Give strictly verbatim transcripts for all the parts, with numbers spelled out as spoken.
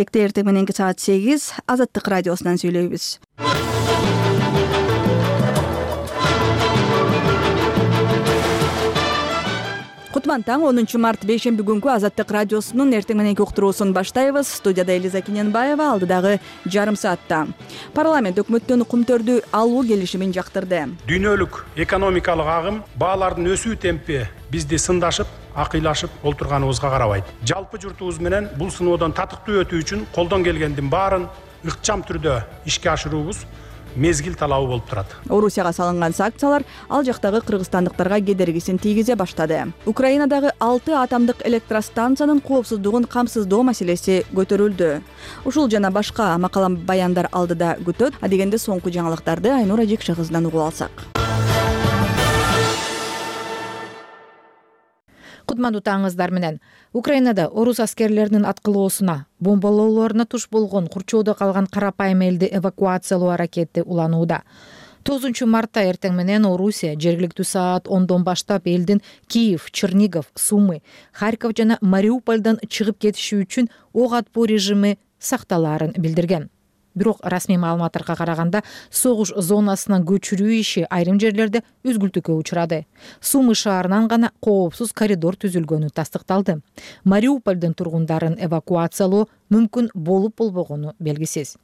Экте эртең мененки саат сегиз Азаттык радиосунан сүйлөйбүз. Кутман таң онунчу март бейшемби күнкү Азаттык радиосунун эртең мененки уктуруусун баштайбыз. Студияда Элиза Кененбаева, алдыдагы жарым саатта. Парламент өкмөттөн кумтөрдү алуу келишимин жактырды. Дүйнөлүк экономикалык агым баалардын өсүү темпи бизди сындашып, акыйлашып олтурганыбызга карабайт. Жалпы журтубуз менен бул сыноодон татыктуу өтүү үчүн колдон келгендин баарын ыкчам түрдө ишке ашыруубуз мезгил талабы болуп турат. Орусияга салынган санкциялар ал жактагы кыргызстандыктарга кедергисин тийгизе баштады. Украинадагы алты атомдук электростанциянын коопсуздугун камсыздоо маселеси көтөрүлдү. Ушул жана башка макала баяндар алдыда күтөт. Адегенде соңку жаңылыктарды Айнура Жекше кызынан угуп алсак. Кутмандуу таңыңыздар менен. Украинада орус аскерлеринин аткылоосуна, бомбалоолоруна туш болгон курчоодо калган карапайым элди эвакуациялоо аракети уланууда. тогузунчу мартта эртең менен Орусия жергиликтүү саат ондон баштап элдин Киев, Чернигов, Сумы, Харьков жана Мариупольдон чыгып кетиши үчүн ок атпоо режими сакталаарын билдирген. Бирок расмий маалыматтарга караганда согуш зонасынан көчүрүү иши айрым жерлерде үзгүлтүккө учурады. Сумы шаарынан гана коопсуз коридор түзүлгөнү тастыкталды. Мариупольдун тургундарын эвакуациялоо мүмкүн болуп болбогону белгисиз.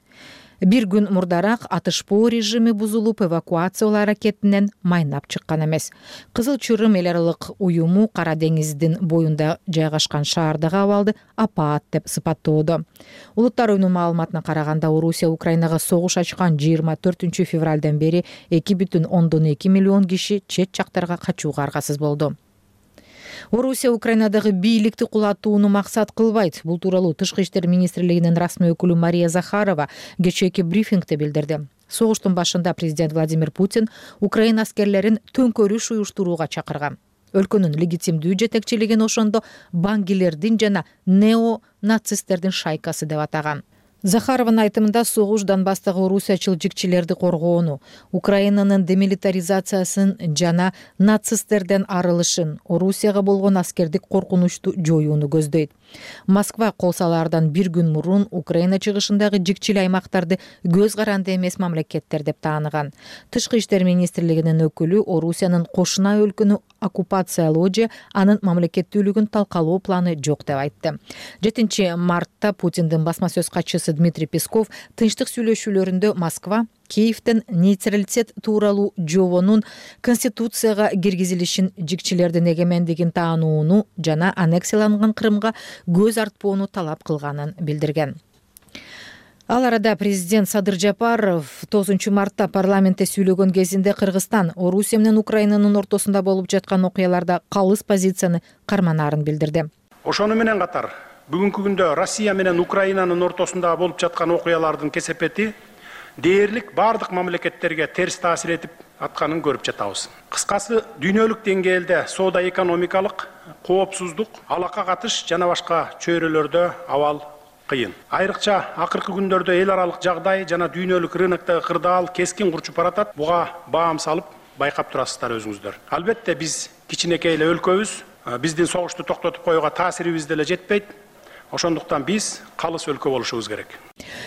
Бир күн мурдараак атышпоо режими бузулуп, эвакуациялоо аракетинен майнап чыккан эмес. Кызыл Чырым эл аралык уюму Кара деңиздин боюнда жайгашкан шаардагы абалды апаат деп сыпаттоодо. Улуттар уюмунун маалыматына караганда, Орусия Украинага согуш ачкан жыйырма төртүнчү февралдан бери эки бүтүн ондон эки миллион киши чет жактарга качууга аргасыз болду. Орусия Украинадагы бийликти кулатууну максат кылбайт. Бул тууралуу Тышкы иштер министрлигинин расмий өкүлү Мария Захарова кечээки брифингде билдирди. Согуштун башында президент Владимир Путин Украина аскерлерин төңкөрүш уюштурууга чакырган. Өлкөнүн легитимдүү жетекчилигин ошондо бангилердин жана неонацисттердин шайкасы деп атаган. Захарованын айтымында согуш Донбасстагы орусиячыл жикчилерди коргоону, Украинанын демилитаризациясын жана нацисттерден арылышын, Орусияга болгон аскердик коркунучту жоюуну көздөйт. Москва кол салаардан бир күн мурун Украина чыгышындагы жикчил аймактарды көз каранды эмес мамлекеттер деп тааныган. Тышкы иштер министрлигинин өкүлү Орусиянын кошуна өлкөнү оккупациялоо же анын мамлекеттүүлүгүн талкалоо планы жок деп айтты. жетинчи мартта Путиндин басма сөз катчысы Дмитрий Песков тынчтык сүйлөшүүлөрүндө Москва Киевден нейтралитет тууралуу жобонун Конституцияга киргизилишин, жикчилердин эгемендигин таанууну жана аннексияланган Крымга көз артпоону талап кылганын билдирген. Ал арада президент Садыр Жапаров тогузунчу мартта парламентте сүйлөгөн кезинде Кыргызстан Орусия менен Украинанын ортосунда болуп жаткан окуяларда калыс позицияны карманаарын билдирди. Ошону менен катар бүгүнкү күндө Россия менен Украинанын ортосунда болуп жаткан окуялардын кесепети дээрлик бардык мамлекеттерге терс таасир этип атканын көрүп жатабыз. Кыскасы, дүйнөлүк деңгээлде соода экономикалык, коопсуздук, алака катыш жана башка чөйрөлөрдө абал кыйын. Айрыкча акыркы күндөрдө эл аралык жагдай жана дүйнөлүк рыноктогу кырдаал кескин курчуп баратат. Буга баам салып байкап турасыздар өзүңүздөр. Албетте биз кичинекей эле өлкөбүз, биздин согушту токтотуп коюуга таасирибиз деле жетпейт. Ошондуктан биз калыс өлкө болушубуз керек.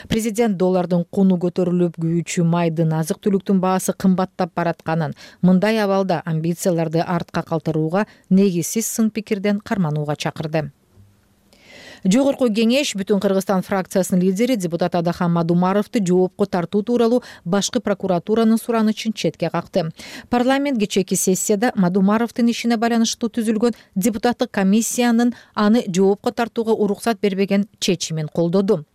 Президент доллардын куну көтөрүлүп, күйүүчү майдын, азык-түлүктүн баасы кымбаттап баратканын, мындай абалда амбицияларды артка калтырууга, негизсиз сын пикирден карманууга чакырды. Жогорку кеңеш Бүтүн Кыргызстан фракциясынын лидери депутат Адахан Мадумаровду жоопко тартуу тууралуу башкы прокуратуранын суранычын четке какты. Парламент кечээки сессияда Мадумаровдун ишине байланыштуу түзүлгөн депутаттык комиссиянын аны жоопко тартууга уруксат бербеген чечимин колдоду.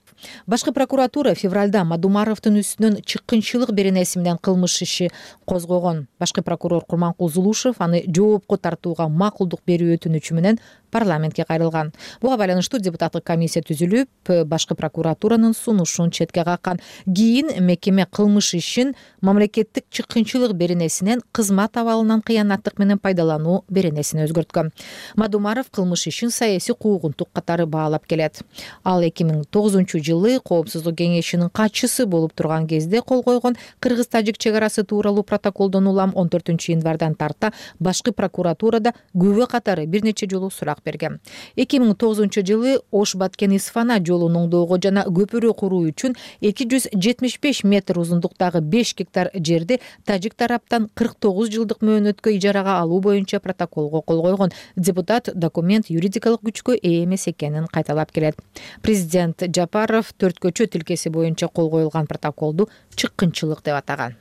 Башкы прокуратура февралда Мадумаровдун үстүнөн чыккынчылык беренеси менен кылмыш иши козгогон. Башкы прокурор Курманкул Зулушев аны жоопко тартууга макулдук берүү өтүнүчү менен парламентке кайрылган. Буга байланыштуу депутаттык комиссия түзүлүп, башкы прокуратуранын сунушун четке каккан. Кийин мекеме кылмыш ишин мамлекеттик чыккынчылык беренесинен кызмат абалынан кыянаттык менен пайдалануу беренесине өзгөрткөн. Мадумаров кылмыш ишин саясий куугунтук катары баалап келет. Ал эки миң тогузунчу жылы Коопсуздук кеңешинин катчысы болуп турган кезде кол койгон Кыргыз-Тажик чек арасы тууралуу протоколдон улам он төртүнчү январдан тарта башкы прокуратурада күбө катары бир нече жолу сурак берген. эки миң тогузунчу жылы Ош Баткен Исфана жолун оңдоого жана көпүрө куруу үчүн эки жүз жетимиш беш метр узундуктагы беш гектар жерди тажик тараптан кырк тогуз жылдык мөөнөткө ижарага алуу боюнча протоколго кол койгон. Депутат документ юридикалык күчкө ээ эмес экенин кайталап келет. Президент Жапаров төрткөчө тилкеси боюнча кол коюлган протоколду чыккынчылык деп атаган.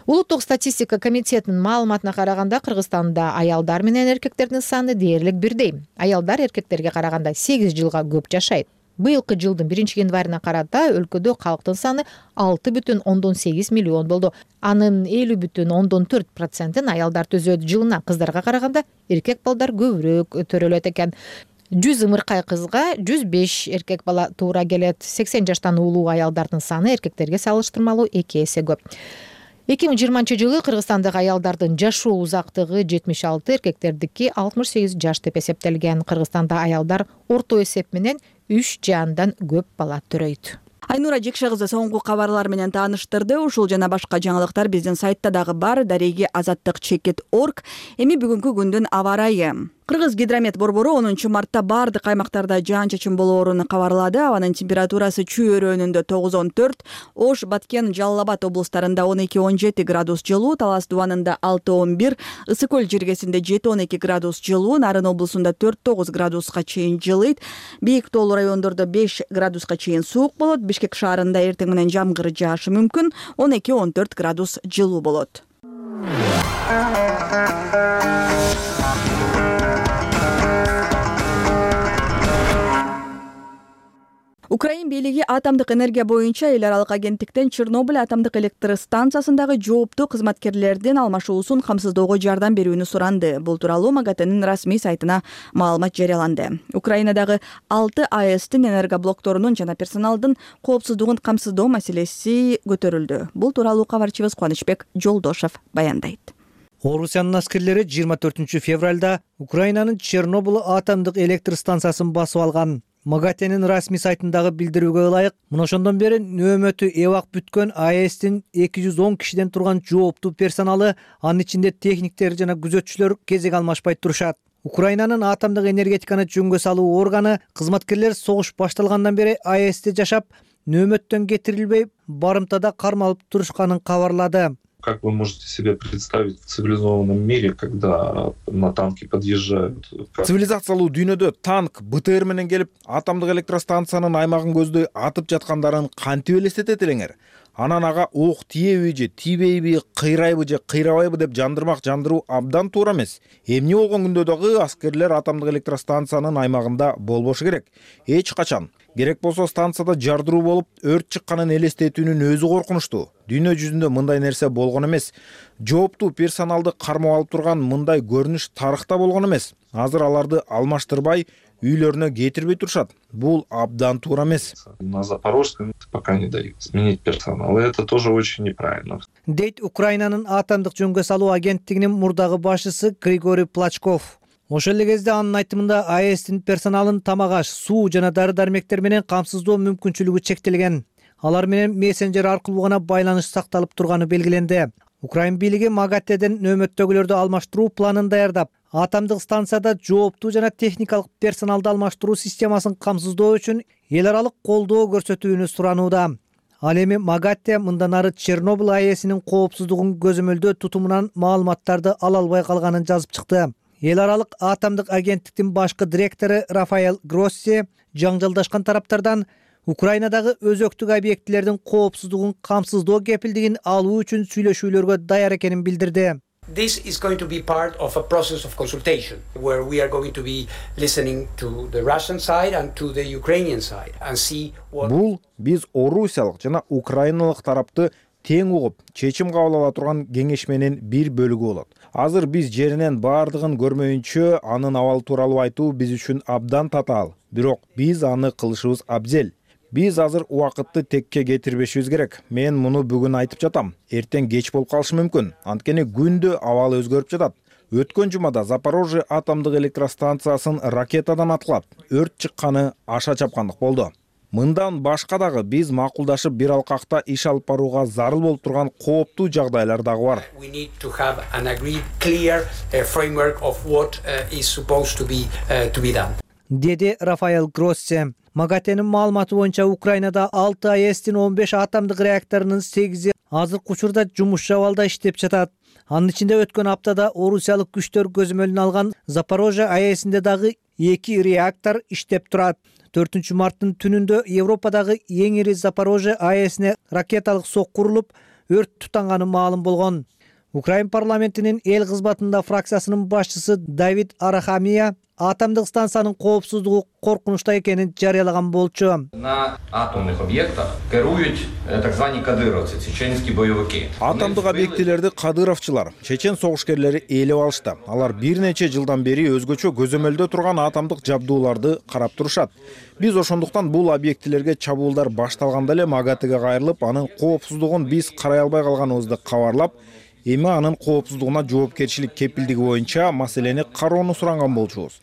Улуттук статистика комитетинин маалыматына караганда Кыргызстанда аялдар менен эркектердин саны дээрлик бирдей. Аялдар эркектерге караганда сегиз жылга көп жашайт. Быйылкы жылдын биринчи январына карата өлкөдө калктын саны алты бүтүн ондон сегиз миллион болду. Анын элүү бүтүн ондон төрт процентин аялдар түзөт. Жылына кыздарга караганда эркек балдар көбүрөөк төрөлөт экен. жүз ымыркай кызга жүз беш эркек бала туура келет. сексен жаштан улуу аялдардын саны эркектерге салыштырмалуу эки эсе көп. эки миң жыйырманчы жылы Кыргызстандагы аялдардын жашоо узактыгы жетимиш алты, эркектердики алтымыш сегиз жаш деп эсептелген. Кыргызстанда аялдар орто эсеп менен үч же андан көп бала төрөйт. Айнура Жекше кызы соңку кабарлар менен тааныштырды. Ушул жана башка жаңылыктар биздин сайтта дагы бар. Дареги азаттык чекит орг. Эми бүгүнкү күндүн аба ырайы. Кыргыз гидромет борбору онунчу мартта бардык аймактарда жаан-чачын болоорун кабарлады. Абанын температурасы Чүй өрөөнүндө тогуз он төрт, Ош, Баткен, Жалал Абад облустарында он эки он жети градус жылуу, Талас Дубанында алты он бир, Ысык көл жергесинде жети он эки градус жылуу, Нарын облусунда төрт тогуз градуска чейин жылыйт. Бийик тоолуу райондордо беш градуска чейин суук болот. Бишкек шаарында эртең менен жамгыр жаашы мүмкүн, он эки он төрт градус жылуу болот. Украин бийлиги атомдук энергия боюнча эл аралык агенттиктен Чернобыль атомдук электр станциясындагы жооптуу кызматкерлердин алмашуусун камсыздоого жардам берүүнү суранды. Бул тууралуу МАГАТЭнин расмий сайтына маалымат жарыяланды. Украинадагы алты АЭСтин энергоблокторунун жана персоналдын коопсуздугун камсыздоо маселеси көтөрүлдү. Бул тууралуу кабарчыбыз Кубанычбек Жолдошов баяндайт. Орусиянын аскерлери жыйырма төртүнчү февралда Украинанын Чернобыль атомдук электр станциясын басып алган. МАГАТЭнин расмий сайтындагы билдирүүгө ылайык, мына ошондон бери нөөмөтү эбак бүткөн АЭСтин эки жүз он кишиден турган жооптуу персоналы, анын ичинде техниктер жана күзөтчүлөр кезек алмашпай турушат. Украинанын атомдук энергетиканы жөнгө салуу органы кызматкерлер согуш башталгандан бери АЭСте жашап, нөөмөттөн кетирилбей, барымтада кармалып турушканын кабарлады. Как вы можете себе представить в цивилизованном мире, когда на танки подъезжают? Цивилизациялуу дүйнөдө танк бэ тэ эр менен келип, атомдук электростанциянын аймагын көздөй атып жаткандарын кантип элестетет элеңер? Анан ага ок тиеби же тийбейби, кыйрайбы же кыйрабайбы деп жандырмак жандыруу абдан туура эмес. Эмне болгон күндө дагы аскерлер атомдук электростанциянын аймагында болбошу керек. Эч качан. Керек болсо станцияда жардыруу болуп, өрт чыкканын элестетүүнүн өзү коркунучтуу. Дүйнө жүзүндө мындай нерсе болгон эмес. Жооптуу персоналды кармап алып турган мындай көрүнүш тарыхта болгон эмес. Азыр аларды алмаштырбай, үйлөрүнө кетирбей турушат. Бул абдан туура эмес. На Запорожском пока не дают сменить персонал. И это тоже очень неправильно. Дейт Украинанын атомдук жөнгө салуу агенттигинин мурдагы башчысы Григорий Плачков. Ошол эле кезде анын айтымында АЭСтин персоналын тамак-аш, суу жана дары-дармектер менен камсыздоо мүмкүнчүлүгү чектелген. Алар менен мессенджер аркылуу гана байланыш сакталып турганы белгиленди. Украин бийлиги МАГАТЭден нөөмөттөгүлөрдү алмаштыруу планын даярдап, атомдук станцияда жооптуу жана техникалык персоналды алмаштыруу системасын камсыздоо үчүн эл аралык колдоо көрсөтүүнү суранууда. Ал эми МАГАТЭ мындан ары Чернобыль АЭСинин коопсуздугун көзөмөлдөө тутумунан маалыматтарды ала албай калганын жазып чыкты. Эл аралык атомдук агенттиктин башкы директору Рафаэл Гросси жаңжалдашкан тараптардан Украинадагы өзөктүк объектилердин коопсуздугун камсыздоо кепилдигин алуу үчүн сүйлөшүүлөргө даяр экенин билдирди. This is going to be part of a process of consultation where we are going to be listening to the Russian side and to the Ukrainian side and see what... Бул биз орусиялык жана украиналык тарапты тең угуп, чечим кабыл ала турган кеңешменин бир бөлүгү болот. Азыр биз жеринен баардыгын көрмөйүнчө анын абалы тууралуу айтуу биз үчүн абдан татаал. Бирок биз аны кылышыбыз абзел. Биз азыр убакытты текке кетирбешибиз керек. Мен муну бүгүн айтып жатам. Эртең кеч болуп калышы мүмкүн. Анткени күндө абалы өзгөрүп жатат. Өткөн жумада Запорожье атомдук электростанциясын ракетадан аткылап, өрт чыкканы аша чапкандык болду. Мындан башка дагы биз макулдашып бир алкакта иш алып барууга зарыл болуп турган кооптуу жагдайлар дагы бар. We need to have an agreed clear uh, framework of what uh, is supposed to be uh, to be done. Деди Рафаэл Гросси. МАГАТЭнин маалыматы боюнча Украинада алты АЭСтин он беш атомдук реакторунун сегизи азыркы учурда жумушчу абалда иштеп жатат. Анын ичинде өткөн аптада орусиялык күчтөр көзөмөлүнө алган Запорожье АЭСинде дагы эки реактор иштеп турат. төртүнчү марттын түнүндө Европадагы эң ири Запорожье АЭСине ракеталык сокку урулуп, өрт тутанганы маалым болгон. Украин парламентинин эл кызматында фракциясынын башчысы Давид Арахамия атомдук станциянын коопсуздугу коркунучта экенин жарыялаган болчу. На атомных объектах керуют так званые кадыровцы, чеченские боевики. Атомдук объектилерди кадыровчулар, чечен согушкерлери ээлеп алышты. Алар бир нече жылдан бери өзгөчө көзөмөлдө турган атомдук жабдууларды карап турушат. Биз ошондуктан бул объектилерге чабуулдар башталганда эле МАГАТЭге кайрылып, анын коопсуздугун биз карай албай калганыбызды кабарлап, эми анын коопсуздугуна жоопкерчилик кепилдиги боюнча маселени кароону суранган болчубуз.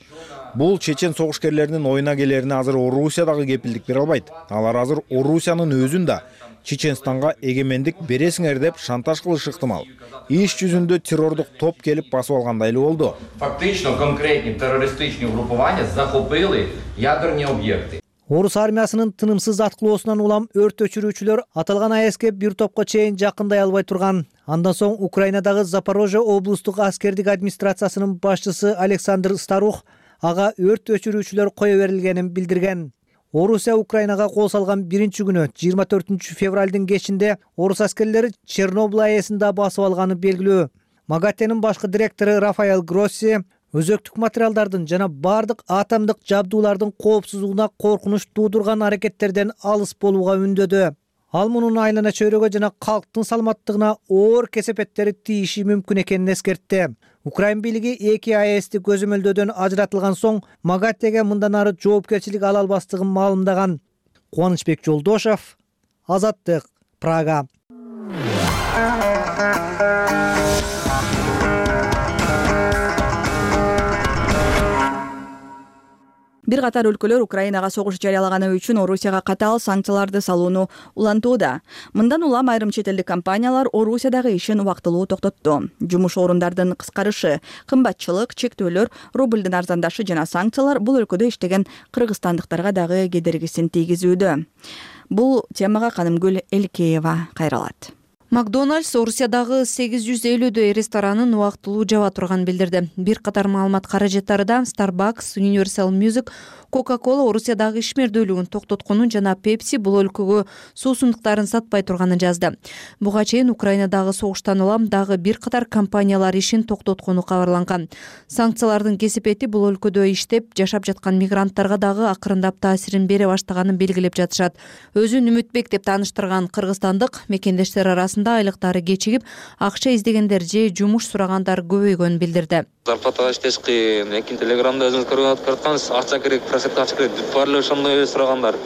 Бул чечен согушкерлеринин оюна келерине азыр Орусия дагы кепилдик бере албайт. Алар азыр Орусиянын өзүн да Чеченстанга эгемендик бересиңер деп шантаж кылышы ыктымал. Иш жүзүндө террордук топ келип басып алгандай эле болду. Фактично конкретні терористичні угрупування захопили ядерні об'єкти. Орус армиясынын тынымсыз аткылоосунан улам өрт өчүрүүчүлөр аталган АЭСке бир топко чейин жакындай албай турган. Андан соң Украинадагы Запорожье облустук аскердик администрациясынын башчысы Александр Старух ага өрт өчүрүүчүлөр кое берилгенин билдирген. Орусия Украинага кол салган биринчи күнү жыйырма төртүнчү февралдын кечинде орус аскерлери Чернобыль АЭСин да басып алганы белгилүү. МАГАТЭнин башкы директору Рафаэл Гросси өзөктүк материалдардын жана бардык атомдук жабдуулардын коопсуздугуна коркунуч туудурган аракеттерден алыс болууга үндөдү. Ал мунун айлана чөйрөгө жана калктын саламаттыгына оор кесепеттери тийиши мүмкүн экенин эскертти. Украин бийлиги эки АЭСти көзөмөлдөөдөн ажыратылган соң МАГАТЭге мындан ары жоопкерчилик ала албастыгын маалымдаган. Кубанычбек Жолдошов, Азаттык, Прага. Бир катар өлкөлөр Украинага согуш жарыялаганы үчүн Орусияга катаал санкцияларды салууну улантууда. Мындан улам айрым чет элдик компаниялар Орусиядагы ишин убактылуу токтотту. Жумуш орундардын кыскарышы, кымбатчылык, чектөөлөр, рублдун арзандашы жана санкциялар бул өлкөдө иштеген кыргызстандыктарга дагы кедергисин тийгизүүдө. Бул темага Канымгүл Элкеева кайралат. Макдональдс Орусиядагы сегиз жүз элүүдөй ресторанын убактылуу жаба турганын билдирди. Бир катар маалымат каражаттары да Starbucks, Universal Music, Coca-Cola Орусиядагы ишмердүүлүгүн токтотконун жана Pepsi бул өлкөгө суусундуктарын сатпай турганын жазды. Буга чейин Украинадагы согуштан улам дагы бир катар компаниялар ишин токтоткону кабарланган. Санкциялардын кесепети бул өлкөдө иштеп жашап жаткан мигранттарга дагы акырындап таасирин бере баштаганын белгилеп жатышат. Өзүн үмүтбек деп тааныштырган кыргызстандык мекендештер арасында айлыктары кечигип, акча издегендер же жумуш сурагандар көбөйгөнүн билдирди. Зарплата иштеш кыйын, экин телеграмда өзүңүз көрүп аткансыз, акча керек, просепка акча керек, баары ошондой эле сурагандар.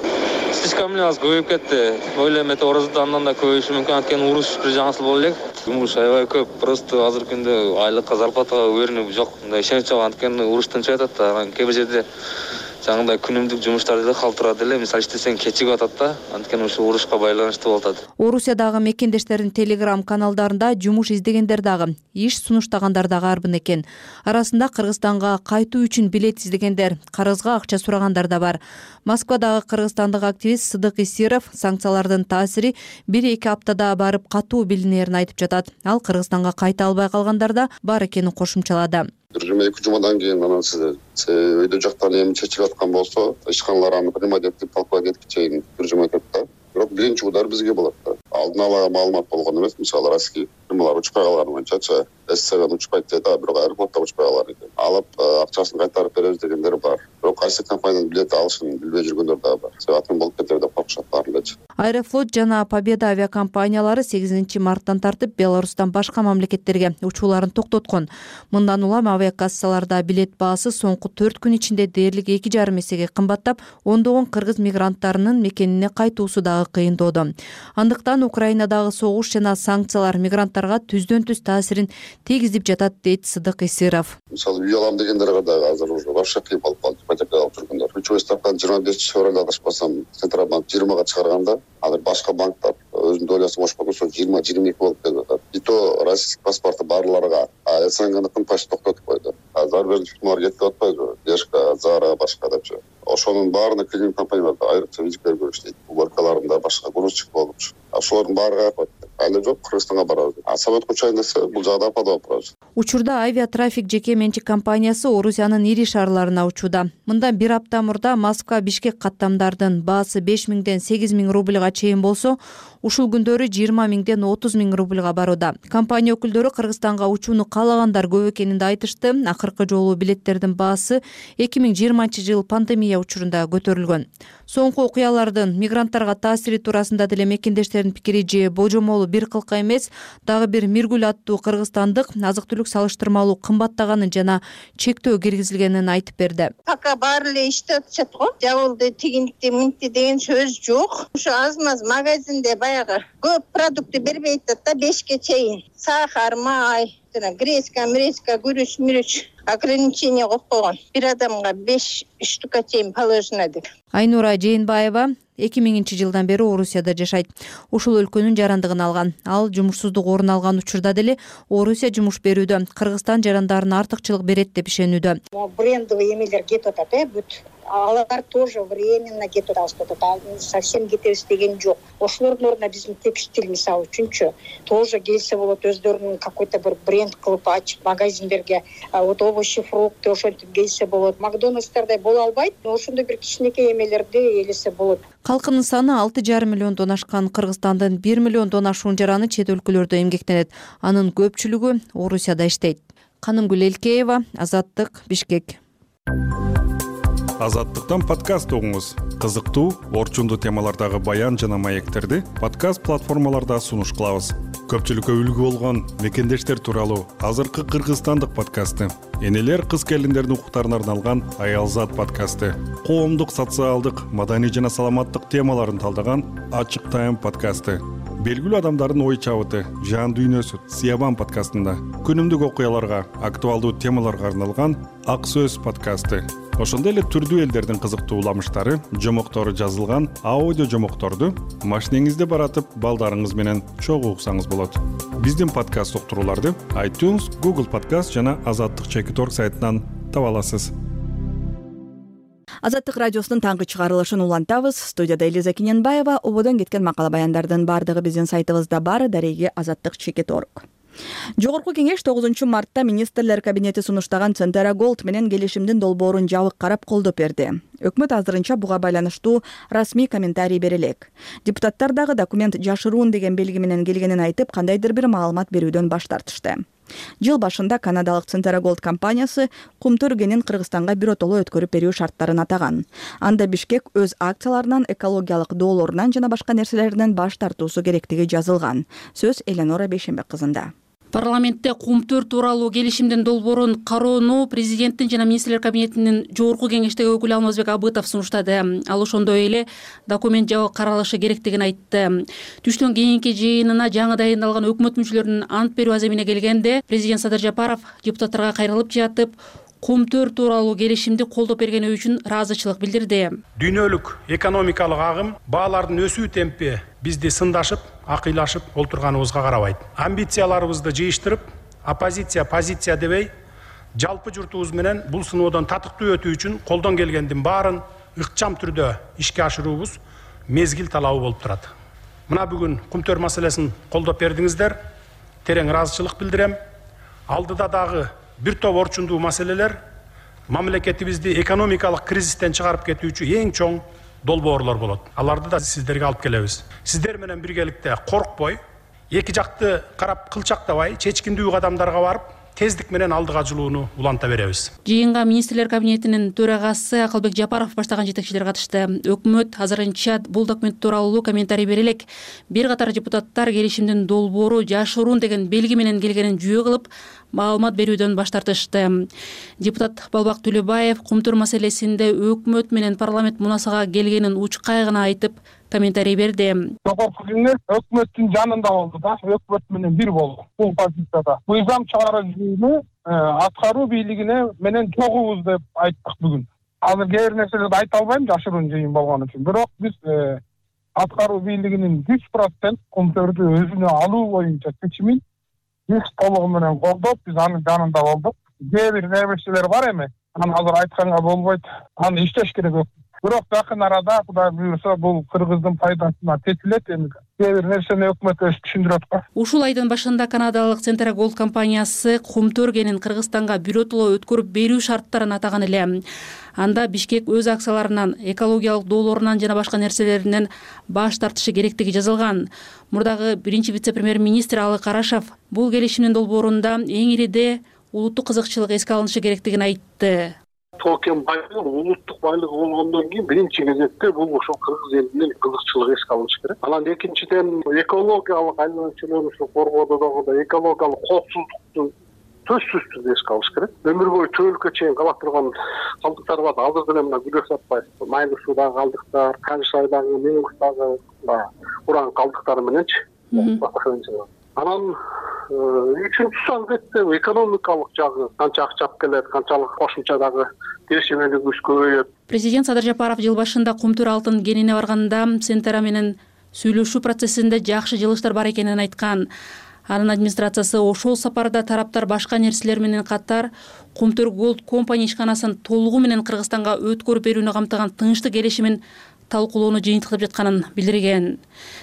Слишком эле аз көбөйүп кетти. Ойлойм, эте орозда андан да көбөйүшү мүмкүн, анткени уруш бир жаңысыл боло элек. Жумуш аябай көп, просто азыркы күндө айлыкка, зарплатага өрүнүп жок, мындай ишенич жок, анткени уруштан чыгып атат да, кээ бир жерде жаңындай күнүмдүк жумуштар деле калтырат эле, мисалы иштесең кечигип атат да, анткени ушу урушка байланыштуу болуп атат. Орусиядагы мекендештердин телеграм каналдарында жумуш издегендер дагы, иш сунуштагандар дагы арбын экен. Арасында Кыргызстанга кайтуу үчүн билет издегендер, карызга акча сурагандар да бар. Москвадагы кыргызстандык активист Сыдык Исиров санкциялардын таасири бир-эки аптада барып катуу билинерин айтып жатат. Ал Кыргызстанга кайта албай калгандар да бар экенин кошумчалады. Бир жыма эки жумадан кийин анан сиз өйдө жактан эми чечип аткан болсо, ишканалар аны принимать этип талкуулап кетип чейин бир жума өтөт да. Бирок биринчи удар бизге болот да. Алдын ала маалымат болгон эмес, мисалы российский фирмалар учпай калганы боюнча, СССРдан учпайт дейт, а бирок аэропортто учпай калган экен. Алып акчасын кайтарып беребиз дегендер бар. Бирок кайсы компаниянын билет алышын билбей жүргөндөр да бар. Себебин болуп кетер деп коркушат баарылычы. Аэрофлот жана Победа авиакомпаниялары сегизинчи марттан тартып Беларустан башка мамлекеттерге учууларын токтоткон. Мындан улам авиакассаларда билет баасы соңку төрт күн ичинде дээрлик эки жарым эсеге кымбаттап, ондогон кыргыз мигранттарынын мекенине кайтуусу дагы кыйындоодо. Андыктан Украинадагы согуш жана санкциялар мигранттарга түздөн-түз таасирин тийгизип жатат дейт Сыдык Исиров. Мисалы үй алам дегендерге дагы азыр уже вообще кыйын болуп калды. айдап алып жүргөндөр. Ключевой ставканы жыйырма бешинчи февралда адашпасам Центробанк жыйырмага чыгарганда, азыр башка банктар өзүнүн долясын кошпогон соң жыйырма жыйырма эки болуп кетип атат. И то российский паспорты барларга, а СНГныкын почти токтотуп койду. Зарубежный фирмалар кетип атпайбы? Бешка, Зара, башка депчи. Ошонун баарына клининг компанияларда айрыкча визиттер көрүштү. Уборкаларында башка грузчик болупчу. Ошолордун баары кайып атты. Али жок, Кыргызстанга барабыз. А самолет учайын десе, бул жагда падалып барабыз. Учурда авиатрафик жеке менчик компаниясы Орусиянын ири шаарларына учууда. Мындан бир апта мурда Москва Бишкек каттамдардын баасы беш миңден сегиз миң рубльга чейин болсо, ушул күндөрү жыйырма миңден отуз миң рубльга барууда. Компания өкүлдөрү Кыргызстанга учууну каалагандар көп экенин да айтышты. Акыркы жолу билеттердин баасы эки миң жыйырманчы жыл пандемия учурунда көтөрүлгөн. Соңку окуялардын мигранттарга таасири туурасында деле мекендештердин пикири же божомолу бир кылка эмес, дагы бир Миргүл аттуу кыргызстандык азык-түлүк салыштырмалуу кымбаттаганын жана чектөө киргизилгенин айтып берди. Пока баары эле иштеп атышат го. Жабылды, тигинтти, мынтти деген сөз жок. Ушу аз-маз магазинде баягы көп продукты бербей атат да бешке чейин. Сахар, май, гречка, мречка, күрүч, мүрүч ограничение коюп койгон. Бир адамга беш штука чейин положено деп. Айнура Жээнбаева эки миңинчи жылдан бери Орусияда жашайт. Ушул өлкөнүн жарандыгын алган. Ал жумушсуздук орун алган учурда деле Орусия жумуш берүүдө Кыргызстан жарандарына артыкчылык берет деп ишенүүдө. Брендовый эмелер кетип атат, э, бүт. Алар тоже временно кетип атат. Совсем кетебиз деген жок. Ошолордун ордуна биздин текстиль мисалы үчүнчү тоже келсе болот, өздөрүнүн какой-то бир бренд кылып ачып магазиндерге, вот овощи, фрукты ошентип келсе болот. Макдональдстердей боло албайт, но ошондой бир кичинекей эмелерди элесе болот. Калкынын саны алты жарым миллиондон ашкан Кыргызстандын бир миллиондон ашуун жараны чет өлкөлөрдө эмгектенет. Анын көпчүлүгү Орусияда иштейт. Канымгүл Элкеева, Азаттык, Бишкек. Азаттыктан подкаст угуңуз. Кызыктуу, орчундуу темалардагы баян жана маектерди подкаст платформаларда сунуш кылабыз. Көпчүлүккө үлгү болгон мекендештер тууралуу азыркы кыргызстандык подкасты, энелер кыз келиндердин укуктарына арналган Аялзат подкасты, коомдук, социалдык, маданий жана саламаттык темаларын талдаган Ачык Тайм подкасты, белгилүү адамдардын ой чабыты, жан дүйнөсү Сиябан подкастында, күнүмдүк окуяларга, актуалдуу темаларга арналган Ак Сөз подкасты, ошондой эле түрдүү элдердин кызыктуу уламыштары, жомоктору жазылган аудио жомокторду машинеңизде баратып балдарыңыз менен чогуу уксаңыз болот. Биздин подкаст уктурууларды iTunes, Google Podcast жана азаттык чекит точка орг сайтынан таба аласыз. Азаттык радиосунун таңкы чыгарылышын улантабыз. Студияда Элиза Кененбаева. Ободон кеткен макала баяндардын бардыгы биздин сайтыбызда бар. Дареги азаттык чекит точка орг. Жогорку кеңеш тогузунчу мартта министрлер кабинети сунуштаган Центера Голд менен келишимдин долбоорун жабык карап колдоп берди. Өкмөт азырынча буга байланыштуу расмий комментарий бере элек. Депутаттар дагы документ жашыруун деген белги менен келгенин айтып, кандайдыр бир маалымат берүүдөн баш тартышты. Жыл башында канадалык Центера Голд компаниясы кум төргенин Кыргызстанга биротоло өткөрүп берүү шарттарын атаган. Анда Бишкек өз акцияларынан, экологиялык доолорунан жана башка нерселерден баш тартуусу керектиги жазылган. Сөз Эленора Бейшембек кызында. Парламентте кум төр тууралуу келишимдин долбоорун кароону президенттин жана министрлер кабинетинин жогорку кеңештеги өкүлү Алмазбек Абытов сунуштады. Ал ошондой эле документ жабык каралышы керектигин айтты. Түштөн кийинки жыйынына жаңы дайындалган өкмөт мүчөлөрүнүн ант берүү аземине келгенде президент Садыр Жапаров депутаттарга кайрылып жатып, кум төр тууралуу келишимди колдоп бергени үчүн ыраазычылык билдирди. Дүйнөлүк экономикалык агым баалардын өсүү темпи бизди сындашып, акыйлашып олтурганыбызга карабайт. Амбицияларыбызды жыйыштырып, оппозиция позиция дебей, жалпы журтубуз менен бул сыноодон татыктуу өтүү үчүн колдон келгендин баарын ыкчам түрдө ишке ашыруубуз мезгил талабы болуп турат. Мына бүгүн кум төр маселесин колдоп бердиңиздер. Терең ыраазычылык билдирем. Алдыда дагы бир топ орчундуу маселелер мамлекетибизди экономикалык кризистен чыгарып кетүүчү эң чоң долбоорлор болот. Аларды да сиздерге алып келебиз. Сиздер менен биргеликте коркпой, эки жакты карап кылчактабай, чечкиндүү кадамдарга барып, тездик менен алдыга жылууну уланта беребиз. Жыйынга министрлер кабинетинин төрагасы Акылбек Жапаров баштаган жетекчилер катышты. Өкмөт азырынча бул документ тууралуу комментарий бере элек. Бир катар депутаттар келишимдин долбоору жашыруун деген белги менен келгенин жүйө кылып, маалымат берүүдөн баш тартышты. Депутат Балбак Түлөбаев кум төр маселесинде өкмөт менен парламент мунасага келгенин учкай гана айтып, комментарий берди. Жогорку кеңеш өкмөттүн жанында болду да, өкмөт менен бир болду бул позицияда. Мыйзам чыгаруу жүйүнү аткаруу бийлигине менен чогуубуз деп айттык бүгүн. азыр кээ бир нерселерди айта албайм жашыруун жыйын болгон үчүн. Бирок биз аткаруу бийлигинин жүз процент Кумтөрдү өзүнө алуу боюнча чечимин жүз толугу менен колдоп, биз анын жанында болдук. Кээ бир нерселер бар эми, аны азыр айтканга болбойт, аны иштеш керек. Бирок жакын арада Кудай буйрса бул кыргыздын пайдасына чечилет. Эми кээ бир нерсени өкмөт өзү түшүндүрөт го. Ушул айдын башында канадалык Centera Gold компаниясы Кумтөр кенин Кыргызстанга биротоло өткөрүп берүү шарттарын атаган эле. Анда Бишкек өз акцияларынан, экологиялык доолорунан жана башка нерселеринен баш тартышы керектиги жазылган. Мурдагы биринчи вице-премьер-министр Алы Карашев бул келишимдин долбоорунда эң ириде улуттук кызыкчылык эске алынышы керектигин айтты. Тоо кен байлыгы улуттук байлыгы болгондон кийин биринчи кезекте бул ошол кыргыз элинин кызыкчылыгы эске алынышы керек. Анан экинчиден экологиялык айланчылыгын коргоодо дагы экологиялык коопсуздукту сөзсүз түрдө эске алыш керек. Өмүр бою чөөлүккө чейин кала турган калдыктар бар. Азыр деле мына күлөш атпай, Майлы суудагы калдыктар, Канышайдагы, Меңгустагы уран калдыктары мененчи. Анан үчүнчүсү албетте экономикалык жагы, канча акча алып келет, канчалык кошумча дагы келишимдүүлүгүбүз көбөйөт. Президент Садыр Жапаров жыл башында Кумтөр алтын кенине барганда Centera менен сүйлөшүү процессинде жакшы жылыштар бар экенин айткан. Анын администрациясы ошол сапарда тараптар башка нерселер менен катар Кумтөр Gold компания ишканасын толугу менен Кыргызстанга өткөрүп берүүнү камтыган тынчтык келишимин талкуулоону жыйынтыктап жатканын билдирген.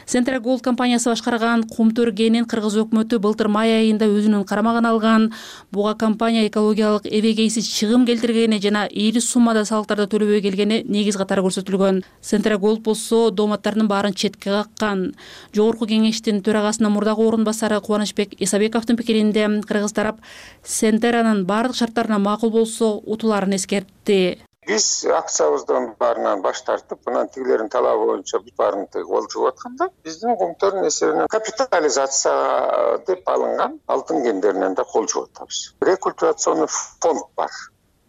Centera Gold компаниясы башкарган Кумтөр кенин кыргыз өкмөтү былтыр май айында өзүнүн карамагына алган. Буга компания экологиялык эбегейсиз чыгым келтиргени жана ийри суммада салыктарды төлөбөй келгени негиз катары көрсөтүлгөн. Centera Gold болсо дооматтардын баарын четке каккан. Жогорку кеңештин төрагасынын мурдагы орун басары Кубанычбек Исабековдун пикиринде кыргыз тарап Centera'нын баардык шарттарына макул болсо утуларын эскертти. Биз акциябыздын баарынан баш тартып, анан тигилердин талабы боюнча бүт баарын колжугуп атканда, биздин Кумтөрдүн эсебинен капитализация деп алынган алтын кендеринен да кол жууп атабыз. Рекультивационный фонд бар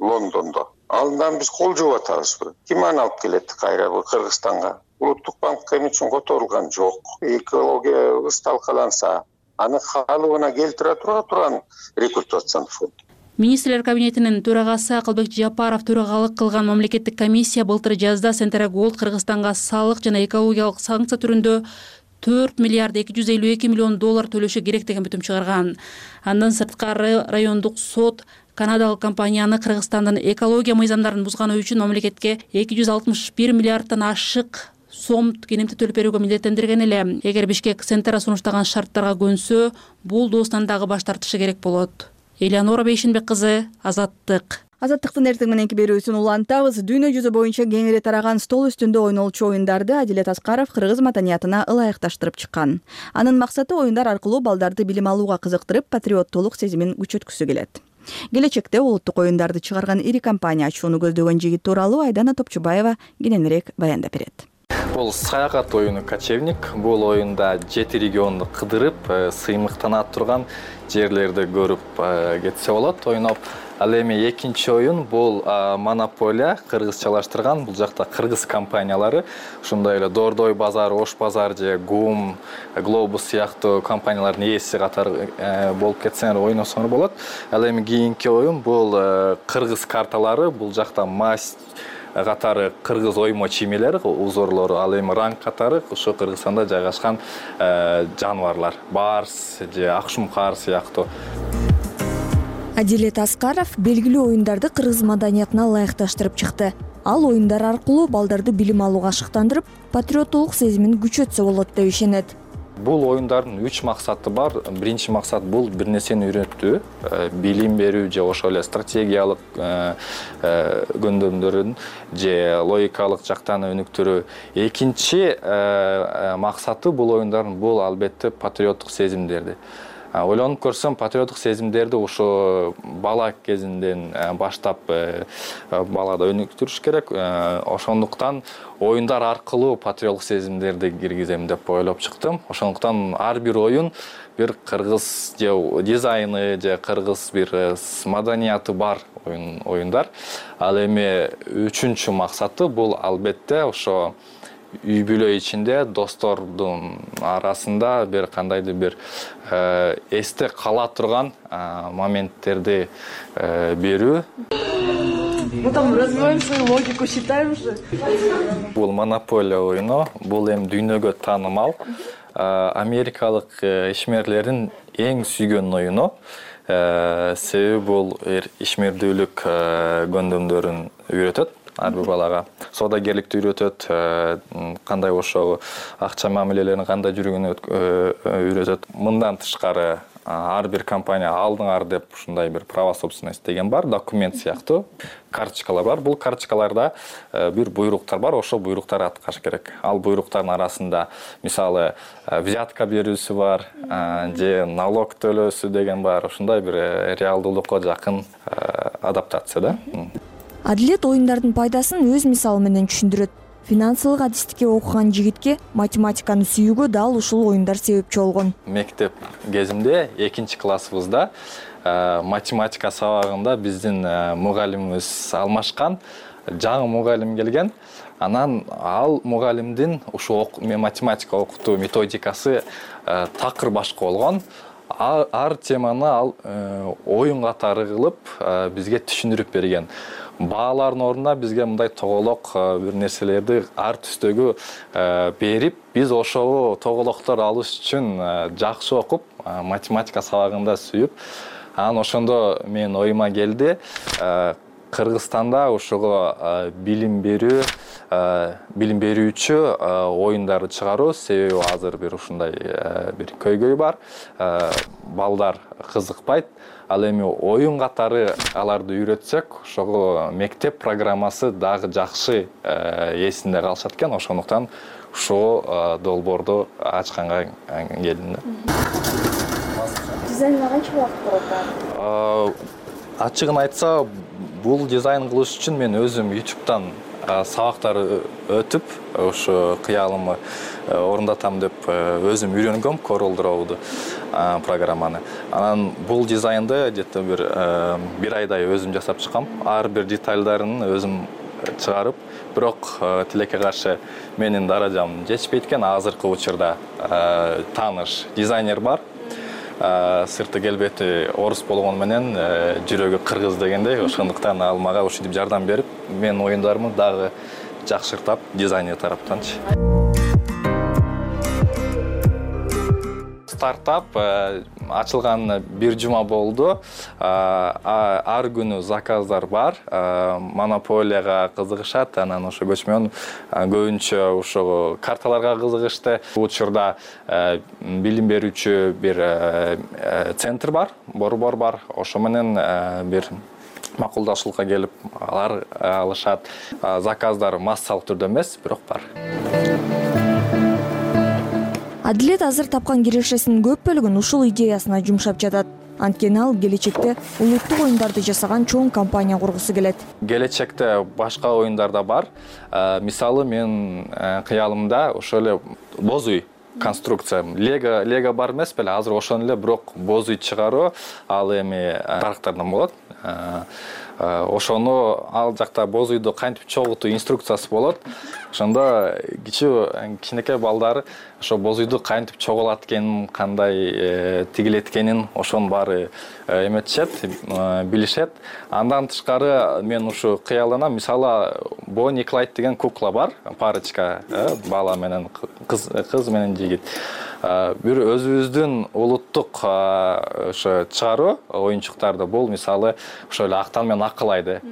Лондондо. Андан биз кол жууп атабызбы? Ким аны алып келет кайра Кыргызстанга? Улуттук банк эми үчүн которулган жок. Экологиябыз талкаланса, аны калыбына келтире тура турган рекультивационный фонд. Министрлер кабинетинин төрагасы Акылбек Жапаров төрагалык кылган мамлекеттик комиссия былтыр жазда Centera Gold Кыргызстанга салык жана экологиялык санкция түрүндө төрт миллиард эки жүз элүү эки миллион доллар төлөшү керек деген бүтүм чыгарган. Андан сырткары райондук сот канадалык компанияны Кыргызстандын экология мыйзамдарын бузганы үчүн мамлекетке эки жүз алтымыш бир миллиарддан ашык сом кенемти төлөп берүүгө милдеттендирген эле. Эгер Бишкек Centera сунуштаган шарттарга көнсө, бул доостан дагы баш тартышы керек болот. Элеонора Бейшинбек кызы, Азаттык. Азаттыктын эртең мененки берүүсүн улантабыз. Дүйнө жүзү боюнча кеңири тараган стол үстүндө ойнолчу оюндарды Адилет Аскаров кыргыз маданиятына ылайыкташтырып чыккан. Анын максаты оюндар аркылуу балдарды билим алууга кызыктырып, патриоттуулук сезимин күчөткүсү келет. Келечекте улуттук оюндарды чыгарган ири компания ачууну көздөгөн жигит тууралуу Айдана Топчубаева кененирээк баяндап берет. Бул саякат оюну Кочевник. Бул оюнда жети регионду кыдырып, сыймыктана турган жерлерди көрүп кетсе болот, ойноп. Ал эми экинчи оюн бул Монополия, кыргызчалаштырган. Бул жакта кыргыз компаниялары, ошондой эле Дордой базар, Ош базар же Гум, Глобус сыяктуу компаниялардын ээси катары болуп кетсеңер ойносоңор болот. Ал эми кийинки оюн бул кыргыз карталары. Бул жакта масть катары кыргыз оймо чимелер, узорлору, ал эми ранг катары ошо Кыргызстанда жайгашкан жаныбарлар, барс же акшумкар сыяктуу. Адилет Аскаров белгилүү оюндарды кыргыз маданиятына ылайыкташтырып чыкты. Ал оюндар аркылуу балдарды билим алууга ашыктандырып, патриоттуулук сезимин күчөтсө болот деп ишенет. Бул оюндардын үч максаты бар. Биринчи максат бул бир нерсени үйрөтүү, билим берүү же ошол эле стратегиялык көндөрмдөрүн же логикалык жактан өнүктүрүү. Экинчи максаты бул оюндардын бул албетте патриоттук сезимдерди. Ойлонуп көрсөм, патриоттук сезимдерди ошо бала кезинден баштап балада өнүктүрүш керек. Ошондуктан оюндар аркылуу патриоттук сезимдерди киргизем деп ойлоп чыктым. Ошондуктан ар бир оюн бир кыргыз же дизайны же кыргыз бир маданияты бар оюндар. Ал эми үчүнчү максаты бул албетте ошо үй бүлө ичинде достордун арасында бир кандайдыр бир эсте кала турган моменттерди берүү. Мы там развиваем свою логику, считаем же. Бул монополия оюну, бул эми дүйнөгө таанымал америкалык ишмерлердин эң сүйгөн оюну. Себеби бул ишмердүүлүк көндөмдөрүн үйрөтөт ар бир балага. Соодагерликти үйрөтөт, кандай ошо акча мамилелерин кандай жүргөнүн үйрөтөт. Мындан тышкары ар бир компания алдыңар деп ушундай бир право собственности деген бар, документ сыяктуу карточкалар бар. Бул карточкаларда бир буйруктар бар, ошо буйруктарды аткарыш керек. Ал буйруктардын арасында мисалы взятка берүүсү бар, же налог төлөөсү деген бар. Ушундай бир реалдуулукка жакын адаптация да. Адилет оюндардын пайдасын өз мисалы менен түшүндүрөт. Финансылык адистикке окуган жигитке математиканы сүйүүгө дал ушул оюндар себепчи болгон. Мектеп кезимде экинчи классыбызда математика сабагында биздин мугалимибиз алмашкан, жаңы мугалим келген. Анан ал мугалимдин ушу математика окутуу методикасы такыр башка болгон. Ар теманы ал оюн катары кылып бизге түшүндүрүп берген. Баалардын ордуна бизге мындай тоголок бир нерселерди ар түстөгү берип, биз ошол тоголоктор алыш үчүн жакшы окуп, математика сабагында сүйүп, анан ошондо менин оюма келди Кыргызстанда ошого билим берүү, билим берүүчү оюндарды чыгаруу, себеби азыр бир ушундай бир көйгөй бар. Балдар кызыкпайт. Ал эми оюн катары аларды үйрөтсөк, ошого мектеп программасы дагы жакшы эсинде калышат экен. Ошондуктан ушул долбоорду ачканга келдим. Дизайнга канча убакыт кетет? Ачыгын айтса, бул дизайн кылыш үчүн мен өзүм ютубтан сабактар өтүп, ошо кыялымы орундатам деп өзүм үйрөнгөм Corel Draw'ду программаны. Анан бул дизайнды где-то бир бир айдай өзүм жасап чыккам. Ар бир детальдарын өзүм чыгарып, бирок тилекке каршы менин даражам жетишпейт экен. Азыркы учурда тааныш дизайнер бар. Сырты келбети орус болгону менен жүрөгү кыргыз дегендей, ошондуктан ал мага ушинтип жардам берип, менин оюндарымды дагы жакшыртап, дизайнер тараптан. Стартап ачылган бир жума болду. Ар күнү заказдар бар. Монополияга кызыгышат, анан ошо көчмөн көбүнчө ошо карталарга кызыгышты. Бул учурда билим берүүчү бир центр бар, борбор бар. Ошо менен бир макулдашуулукка келип алар алышат. Заказдар массалык түрдө эмес, бирок бар. Адилет азыр тапкан кирешесинин көп бөлүгүн ушул идеясына жумшап жатат. Анткени ал келечекте улуттук оюндарды жасаган чоң компания кургусу келет. Келечекте башка оюндар да бар. Мисалы мен кыялымда ошол эле боз үй конструкция. Лего Лего бар эмес беле, азыр ошону эле бирок боз үй чыгаруу, ал эми тарактардан болот. Ошону ал жакта боз үйдү кантип чогултуу инструкциясы болот. Ошондо кичүү кичинекей балдар ошо боз үйдү кантип чогулат экенин, кандай тигилет экенин ошонун баары эметишет, билишет. Андан тышкары мен ушу кыялданам. Мисалы Бонни Клайд деген кукла бар, парочка, бала менен кыз, кыз менен жигит. Бир өзүбүздүн улуттук ошо чыгаруу оюнчуктарды бул мисалы ошо эле актан менен акылайды.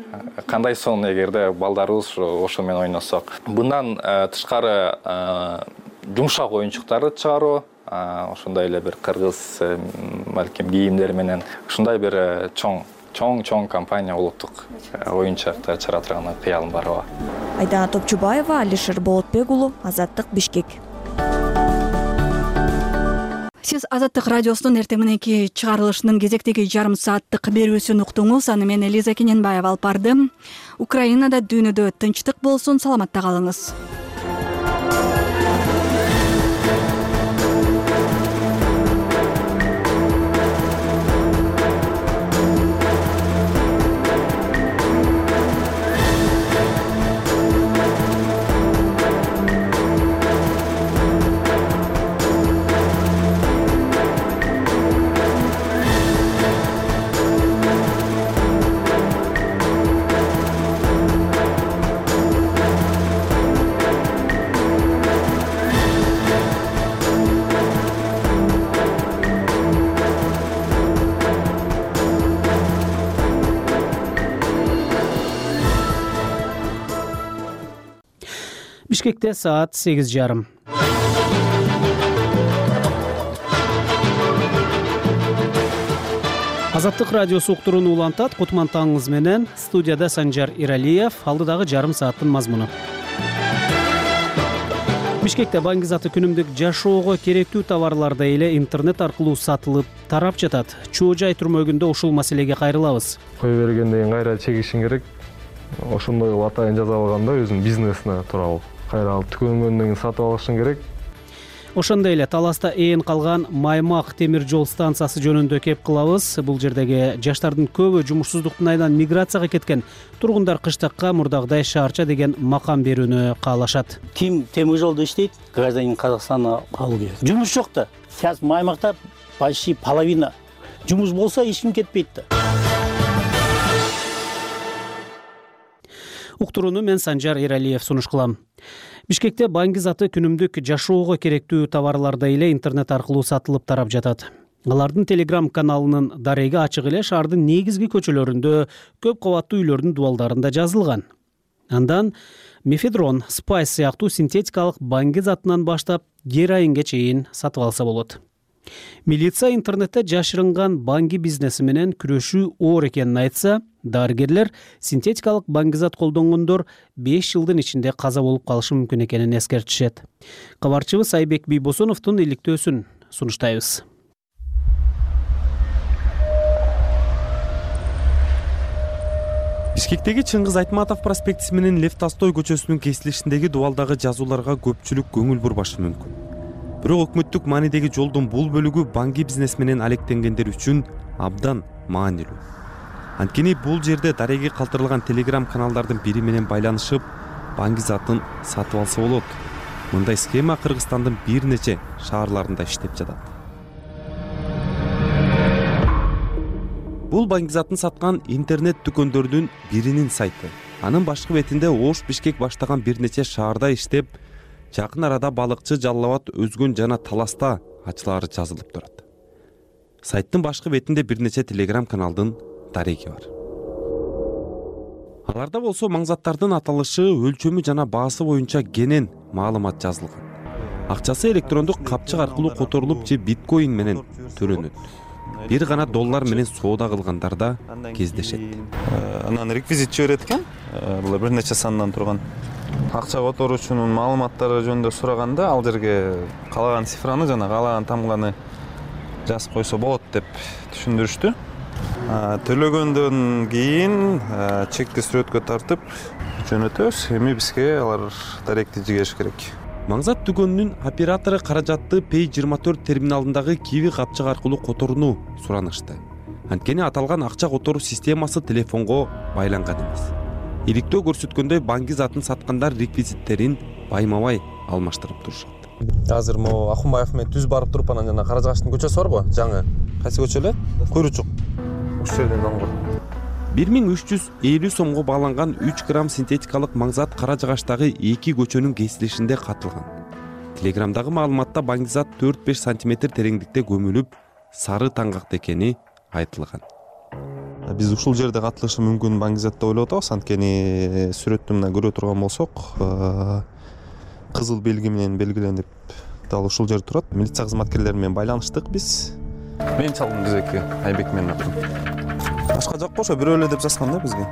Кандай сон эгерде балдарыбыз ошо менен ойносок. Bundan тышкары жумшак оюнчуктарды чыгаруу, ошондой эле бир кыргыз балким кийимдер менен ушундай бир чоң чоң-чоң компания улуттук оюнчуктар чыгара турган кыялым бар. Айдана Топчубаева, Алишер Болотбек уулу, Азаттык, Бишкек. Сиз Азаттык радиосунун эртең мененки чыгарылышынын кезектеги жарым сааттык берүүсүн уктуңуз. Аны мен Элиза Кененбаева алып бардым. Украинада дүйнөдө тынчтык болсун, саламатта калыңыз. Бишкекте саат сегиз жарым. Азаттык радиосу уктуруну улантат. Кутман таңыңыз менен. Студияда Санжар Иралиев. Алдыдагы жарым сааттын мазмуну. Бишкекте Баңгизаты күнүмдүк жашоого керектүү товарларды эле интернет аркылуу сатылып тарап жатат. Чоо жай түрмөгүндө ушул маселеге кайрылабыз. Кое бергенден кийин кайра чегишиң керек. Ошондой кылып атайын жаза алганда өзүнүн бизнесине тууралуу. Кайра алып түгөнгөндөн кийин сатып алышың керек. Ошондой эле Таласта ээн калган Маймак темир жол станциясы жөнүндө кеп кылабыз. Бул жердеги жаштардын көбү жумушсуздуктун айынан миграцияга кеткен. Тургундар кыштыкка мурдагыдай шаарча деген макам берүүнү каалашат. Ким темир жолдо иштейт, гражданин Казакстана алуу керек. Жумуш жок да. Сейчас Маймакта почти половина. Жумуш болсо эч ким кетпейт да. Уктурууну мен Санжар Иралиев сунуш кылам. Бишкекте Баңгизаты күнүмдүк жашоого керектүү товарларды эле интернет аркылуу сатылып тарап жатат. Алардын Telegram каналынын дареги ачык эле шаардын негизги көчөлөрүндө, көп кабаттуу үйлөрдүн дубалдарында жазылган. Андан мефедрон, спайс сыяктуу синтетикалык баңгизатынан баштап героинге чейин сатып алса болот. Милиция интернетте жашырынган баңги бизнеси менен күрөшүү оор экенин айтса, дарыгерлер синтетикалык баңгизат колдонгондор беш жылдын ичинде каза болуп калышы мүмкүн экенин эскертишет. Кабарчыбыз Айбек Бийбосоновдун иликтөөсүн сунуштайбыз. Бишкектеги Чыңгыз Айтматов проспектиси менен Лев Толстой көчөсүнүн кесилишиндеги дубалдагы жазууларга көпчүлүк көңүл бурбашы мүмкүн. Бирок өкмөттүк маанидеги жолдун бул бөлүгү баңги бизнес менен алектенгендер үчүн абдан маанилүү. Анткени бул жерде дареги калтырылган Telegram каналдардын бири менен байланышып, баңгизатын сатып алса болот. Мындай схема Кыргызстандын бир нече шаарларында иштеп жатат. Бул баңгизатын саткан интернет дүкөндөрдүн биринин сайты. Анын башкы бетинде Ош Бишкек баштаган бир нече шаарда иштеп, жакын арада балыкчы, Жалал Абад, Өзгөн жана Таласта ачылары жазылып турат. Сайттын башкы бетинде бир нече Telegram каналдын дареги бар. Аларда болсо маңзаттардын аталышы, өлчөмү жана баасы боюнча кенен маалымат жазылган. Акчасы электрондук капчык аркылуу которулуп же биткоин менен төлөнөт. Бир гана доллар менен соода кылгандар да кездешет. Анан реквизит жиберет экен. Бул бир нече сандан турган. Акча которуучунун маалыматтары жөнүндө сураганда ал жерге каалаган цифраны жана каалаган тамганы жазып койсо болот деп түшүндүрүштү. Төлөгөндөн кийин чекти сүрөткө тартып жөнөтөбүз. Эми бизге алар даректи жигериш керек. Маңзат дүкөнүнүн оператору каражатты Pay жыйырма төрт терминалындагы Kiwi капчык аркылуу которууну суранышты. Анткени аталган акча которуу системасы телефонго байланган эмес. Иликтөө көрсөткөндөй баңгизатын саткандар реквизиттерин байма-бай алмаштырып турушат. Азыр могу Акунбаев менен түз барып туруп анан жана Каражагаштын көчөсү барбы? Жаңы. Кайсы көчө эле? Куйручук. Ушул жерден аңгыр. бир миң үч жүз элүү сомго бааланган үч грамм синтетикалык маңзат Каражагаштагы эки көчөнүн кесилишинде катылган. Телеграмдагы маалыматта баңгизат төрт беш сантиметр тереңдикте көмүлүп, сары таңгакта экени айтылган. Биз ушул жерде катылышы мүмкүн баңгизат деп ойлоп атабыз. Анткени сүрөттү мына көрө турган болсок, кызыл белги менен белгиленип дал ушул жерде турат. Милиция кызматкерлери менен байланыштык биз. Мен чалдым бизеки, Айбек менен аттым. Башка жок ошо бирөө эле деп жазган да бизге.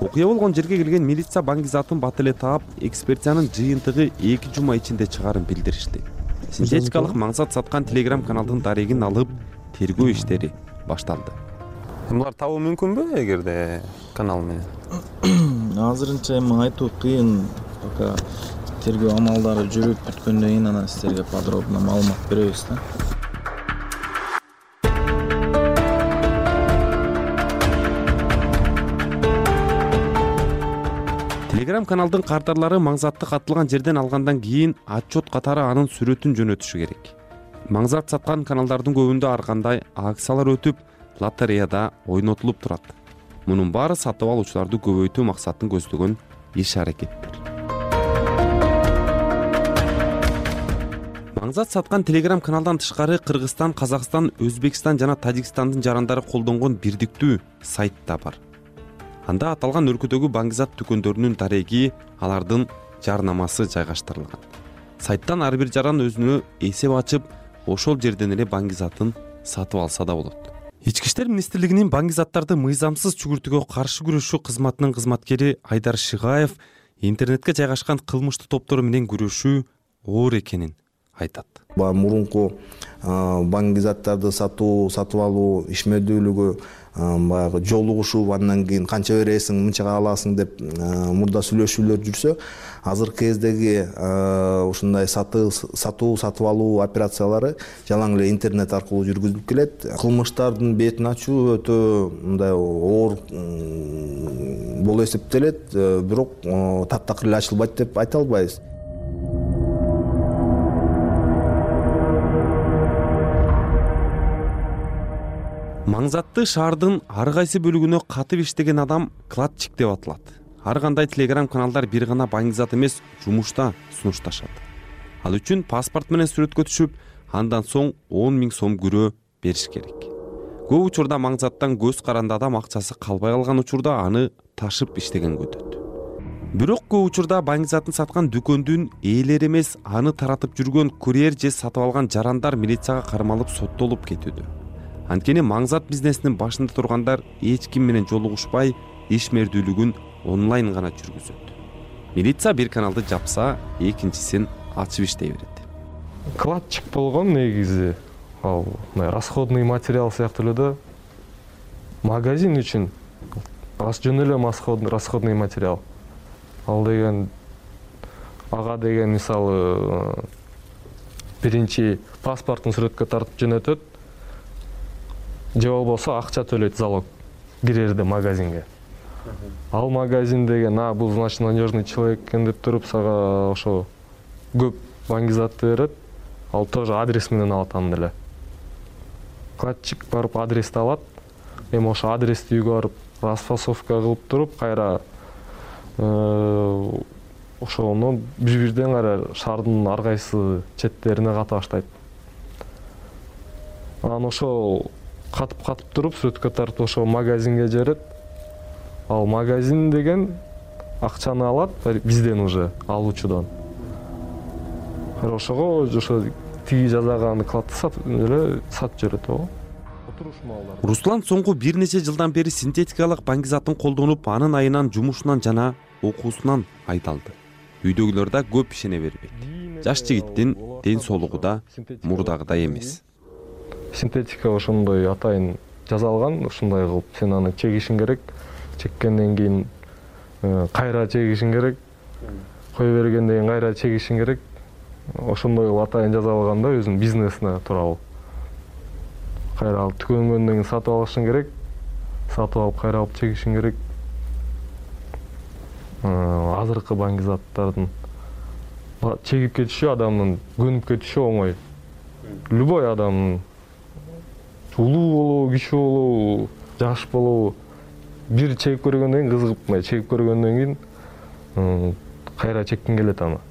Окуя болгон жерге келген милиция баңгизатын бат эле таап, экспертиянын жыйынтыгы эки жума ичинде чыгарын билдиришти. Синтетикалык маңзат саткан Telegram каналдын дарегин алып, тергөө иштери башталды. Булар табуу мүмкүнбү эгерде канал менен? Азырынча эми айтуу кыйын. Пока тергөө амалдары жүрүп бүткөндөн кийин анан силерге подробно маалымат беребиз да. Telegram каналдын кардарлары маңзатты катылган жерден алгандан кийин отчет катары анын сүрөтүн жөнөтүшү керек. Маңзат саткан каналдардын көбүндө ар кандай акциялар өтүп, лотереяда ойнотулуп турат. Мунун баары сатып алуучуларды көбөйтүү максатын көздөгөн иш-аракеттер. Маңзат саткан Telegram каналдан тышкары Кыргызстан, Казакстан, Өзбекстан жана Тажикстандын жарандары колдонгон бирдиктүү сайт да бар. Анда аталган өлкөдөгү баңгизат дүкөндөрүнүн дареги, алардын жарнамасы жайгаштырылган. Сайттан ар бир жаран өзүнө эсеп ачып, ошол жерден эле баңгизатын сатып алса да болот. Ички иштер министрлигинин баңгизаттарды мыйзамсыз чүгүртүүгө каршы күрөшүү кызматынын кызматкери Айдар Шыгаев интернетке жайгашкан кылмыштуу топтор менен күрөшүү оор экенин айтат. Баягы мурунку баңгизаттарды сатуу, сатып алуу ишмердүүлүгү баягы жолугушуп, андан кийин канча бересиң, мынчага аласың деп мурда сүйлөшүүлөр жүрсө, азыркы кездеги ушундай сатуу, сатып алуу операциялары жалаң эле интернет аркылуу жүргүзүлүп келет. Кылмыштардын бетин ачуу өтө мындай оор болуп эсептелет, бирок таптакыр эле ачылбайт деп айта албайбыз. Маңзатты шаардын ар кайсы бөлүгүнө катып иштеген адам кладчик деп аталат. Ар кандай телеграм каналдар бир гана баңгизат эмес, жумушта сунушташат. Ал үчүн паспорт менен сүрөткө түшүп, андан соң он миң сом күрөө бериш керек. Көп учурда маңзаттан көз каранды адам акчасы калбай калган учурда аны ташып иштегенге өтөт. Бирок көп учурда баңгизатын саткан дүкөндүн ээлери эмес, аны таратып жүргөн курьер же сатып алган жарандар милицияга кармалып соттолуп кетүүдө. Анткени маңзат бизнесинин башында тургандар эч ким менен жолугушпай, ишмердүүлүгүн онлайн гана жүргүзөт. Милиция бир каналды жапса, экинчисин ачып иштей берет. Кладчик болгон негизи ал расходный материал сыяктуу эле да. Магазин үчүн жөн эле расходный материал. Ал деген ага деген мисалы биринчи паспортун сүрөткө тартып жөнөтөт. Же болбосо акча төлөйт залог кирерде магазинге. Ал магазин деген, а бул значит надежный человек экен деп туруп сага ошо көп баңгизатты берет. Ал тоже адрес менен алат аны эле. Кладчик барып адрести алат. Эми ошо адрести үйгө барып расфасовка кылып туруп, кайра ошону бир-бирден кайра шаардын ар кайсы четтерине ката баштайт. Анан ошо катып-катып туруп сүрөткө тартып ошо магазинге жиберет. Ал магазин деген акчаны алат бизден уже алуучудан. Ошого ошо тиги жасаган кладты сатып эле сатып жиберет го. Руслан соңку бир нече жылдан бери синтетикалык баңгизатын колдонуп, анын айынан жумушунан жана окуусунан айдалды. Үйдөгүлөр да көп ишене бербейт. Жаш жигиттин ден соолугу да мурдагыдай эмес. Синтетика ошондой атайын жасалган, ушундай кылып сен аны чегишиң керек. Чеккенден кийин кайра чегишиң керек. Кое бергенден кийин кайра чегишиң керек. Ошондой кылып атайын жасалган да өзүнүн бизнесине тууралуу. Кайра алып түгөнгөндөн кийин сатып алышың керек. Сатып алып кайра алып чегишиң керек. Азыркы баңгизаттардын чегип кетиши адамдын көнүп кетиши оңой. Любой адамдын улуу болобу, кичүү болобу, жаш болобу, бир чегип көргөндөн кийин кызыгып, мына чегип көргөндөн кийин кайра чеккиң келет аны.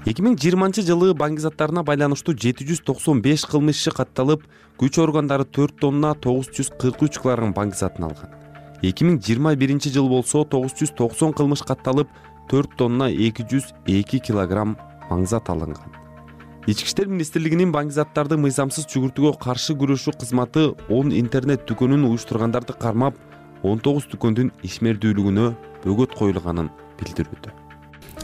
эки миң жыйырманчы жылы баңгизаттарына байланыштуу жети жүз токсон беш кылмыш иши катталып, күч органдары төрт тонна тогуз жүз кырк үч килограмм баңгизатын алган. эки миң жыйырма биринчи жыл болсо тогуз жүз токсон кылмыш катталып, төрт тонна эки жүз эки килограмм маңзат алынган. Ички иштер министрлигинин баңгизаттарды мыйзамсыз чүгүртүүгө каршы күрөшүү кызматы он интернет дүкөнүн уюштургандарды кармап, он тогуз дүкөндүн ишмердүүлүгүнө бөгөт коюлганын билдирүүдө.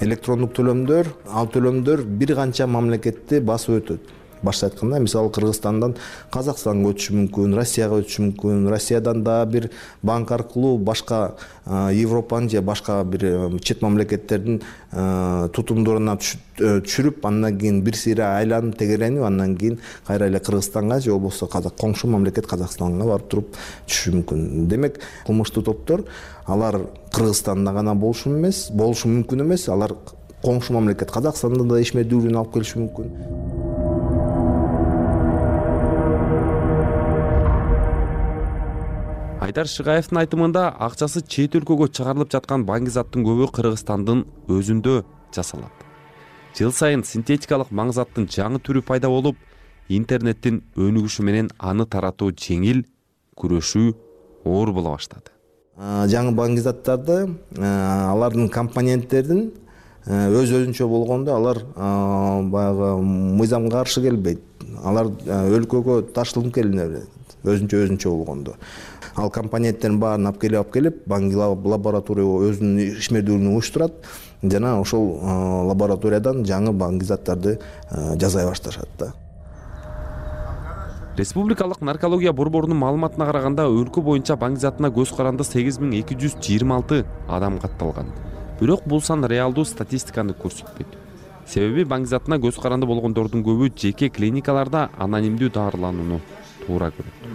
Электрондук төлөмдөр, ал төлөмдөр бир канча мамлекетти басып өтөт. Башка айтканда, мисалы Кыргызстандан Казакстанга өтүшү мүмкүн, Россияга өтүшү мүмкүн, Россиядан да бир банк аркылуу башка Европанын же башка бир чет мамлекеттердин тутумдоруна түшүрүп, андан кийин бир сыйра айланып тегеренип, андан кийин кайра эле Кыргызстанга же болбосо коңшу мамлекет Казакстанга барып туруп түшүшү мүмкүн. Демек, кылмыштуу топтор алар Кыргызстанда гана болушу эмес, болушу мүмкүн эмес, алар коңшу мамлекет Казакстанда да ишмердүүлүгүн алып келиши мүмкүн. Айдар Шыгаевдин айтымында акчасы чет өлкөгө чыгарылып жаткан баңгизаттын көбү Кыргызстандын өзүндө жасалат. Жыл сайын синтетикалык маңзаттын жаңы түрү пайда болуп, интернеттин өнүгүшү менен аны таратуу жеңил, күрөшүү оор боло баштады. жаңы баңгизаттарды алардын компоненттерин өз өзүнчө болгондо алар баягы мыйзамга каршы келбейт. Алар өлкөгө ташылып келине берет өзүнчө өзүнчө болгондо. Ал компоненттердин баарын алып келип алып келип банги лаборатория өзүнүн ишмердүүлүгүн уюштурат жана ошол лабораториядан жаңы баңгизаттарды жасай башташат да. Республикалык наркология борборунун маалыматына караганда өлкө боюнча баңгизатына көз каранды сегиз миң эки жүз жыйырма алты адам катталган. Бирок бул сан реалдуу статистиканы көрсөтпөйт. Себеби баңгизатына көз каранды болгондордун көбү жеке клиникаларда анонимдүү дарыланууну туура көрөт.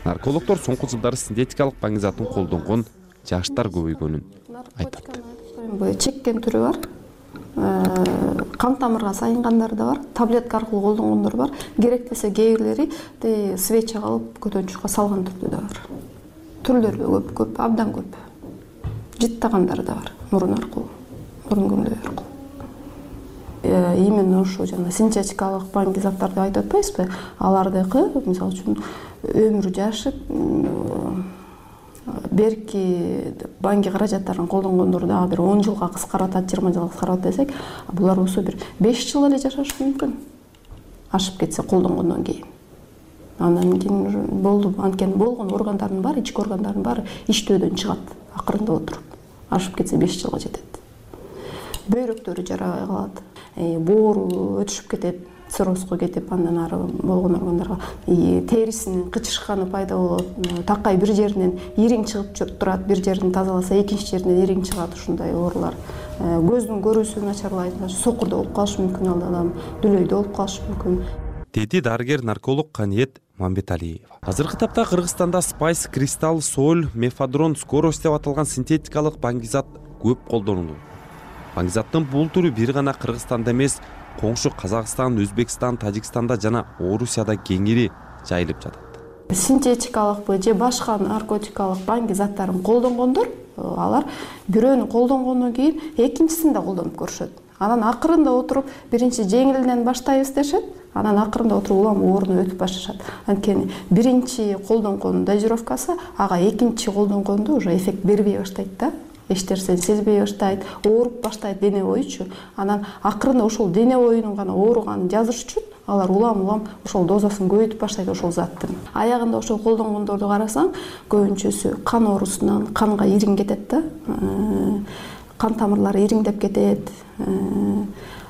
Наркологдор соңку жылдары синтетикалык баңгизатын колдонгон жаштар көбөйгөнүн айтат. Чеккен түрү бар. Кан тамырга сайынгандар да бар, таблетка аркылуу колдонгондор бар. Керектесе кээ бирлери свечага алып көтөнчүккө салган түрдө да бар. Түрлөрү көп, көп, абдан көп. Жыттагандар да бар, мурун аркылуу, мурун көмдөй аркылуу. Именно ошо жана синтетикалык баңгизаттарды айтып атпайсызбы? Алардыкы, мисалы үчүн, өмүр жашып, берки банги каражаттарын колдонгондор дагы бир он жылга кыскаратат, жыйырма жылга кыскаратат десек, булар болсо бир беш жыл эле жашашы мүмкүн. Ашып кетсе колдонгондон кийин. Андан кийин болду, анткени болгон органдардын баары, ички органдардын баары иштөөдөн чыгат акырында отуруп. Ашып кетсе беш жылга жетет. Бөйрөктөрү жарабай калат, боору өтүшүп кетет, циррозго кетип, андан ары болгон органдарга терисинин кычышканы пайда болот. Такай бир жеринен ириң чыгып турат, бир жерин тазаласа экинчи жеринен ириң чыгат, ушундай оорулар. Көздүн көрүүсү начарлайт, сокурда болуп калышы мүмкүн, ал адам дүлөйдө болуп калышы мүмкүн. Деди дарыгер нарколог Каниет Мамбеталиева. Азыркы тапта Кыргызстанда Spice, Crystal, Sol, Mefadron, Скорость деп аталган синтетикалык баңгизат көп колдонулат. Баңгизаттын бул түрү бир гана Кыргызстанда эмес, коңшу Казакстан, Өзбекстан, Тажикстанда жана Орусияда кеңири жайылып жатат. Синтетикалыкпы же башка наркотикалык банги заттарын колдонгондор, алар бирөөнү колдонгондон кийин экинчисин да колдонуп көрүшөт. Анан акырында отуруп биринчи жеңилден баштайбыз дешет, анан акырында отуруп улам ооруну өтүп башташат. Анткени биринчи колдонгондун дозировкасы ага экинчи колдонгондо уже эффект бербей баштайт да. Эч нерсени сезбей баштайт, ооруп баштайт дене боючу. Анан акырында ошол дене боюнун гана ооруганын жазыш үчүн алар улам-улам ошол дозасын көбөйтүп баштайт ошол заттын. Аягында ошол колдонгондорду карасаң, көбүнчөсү кан оорусунан канга ириң кетет да. Кан тамырлары ириңдеп кетет,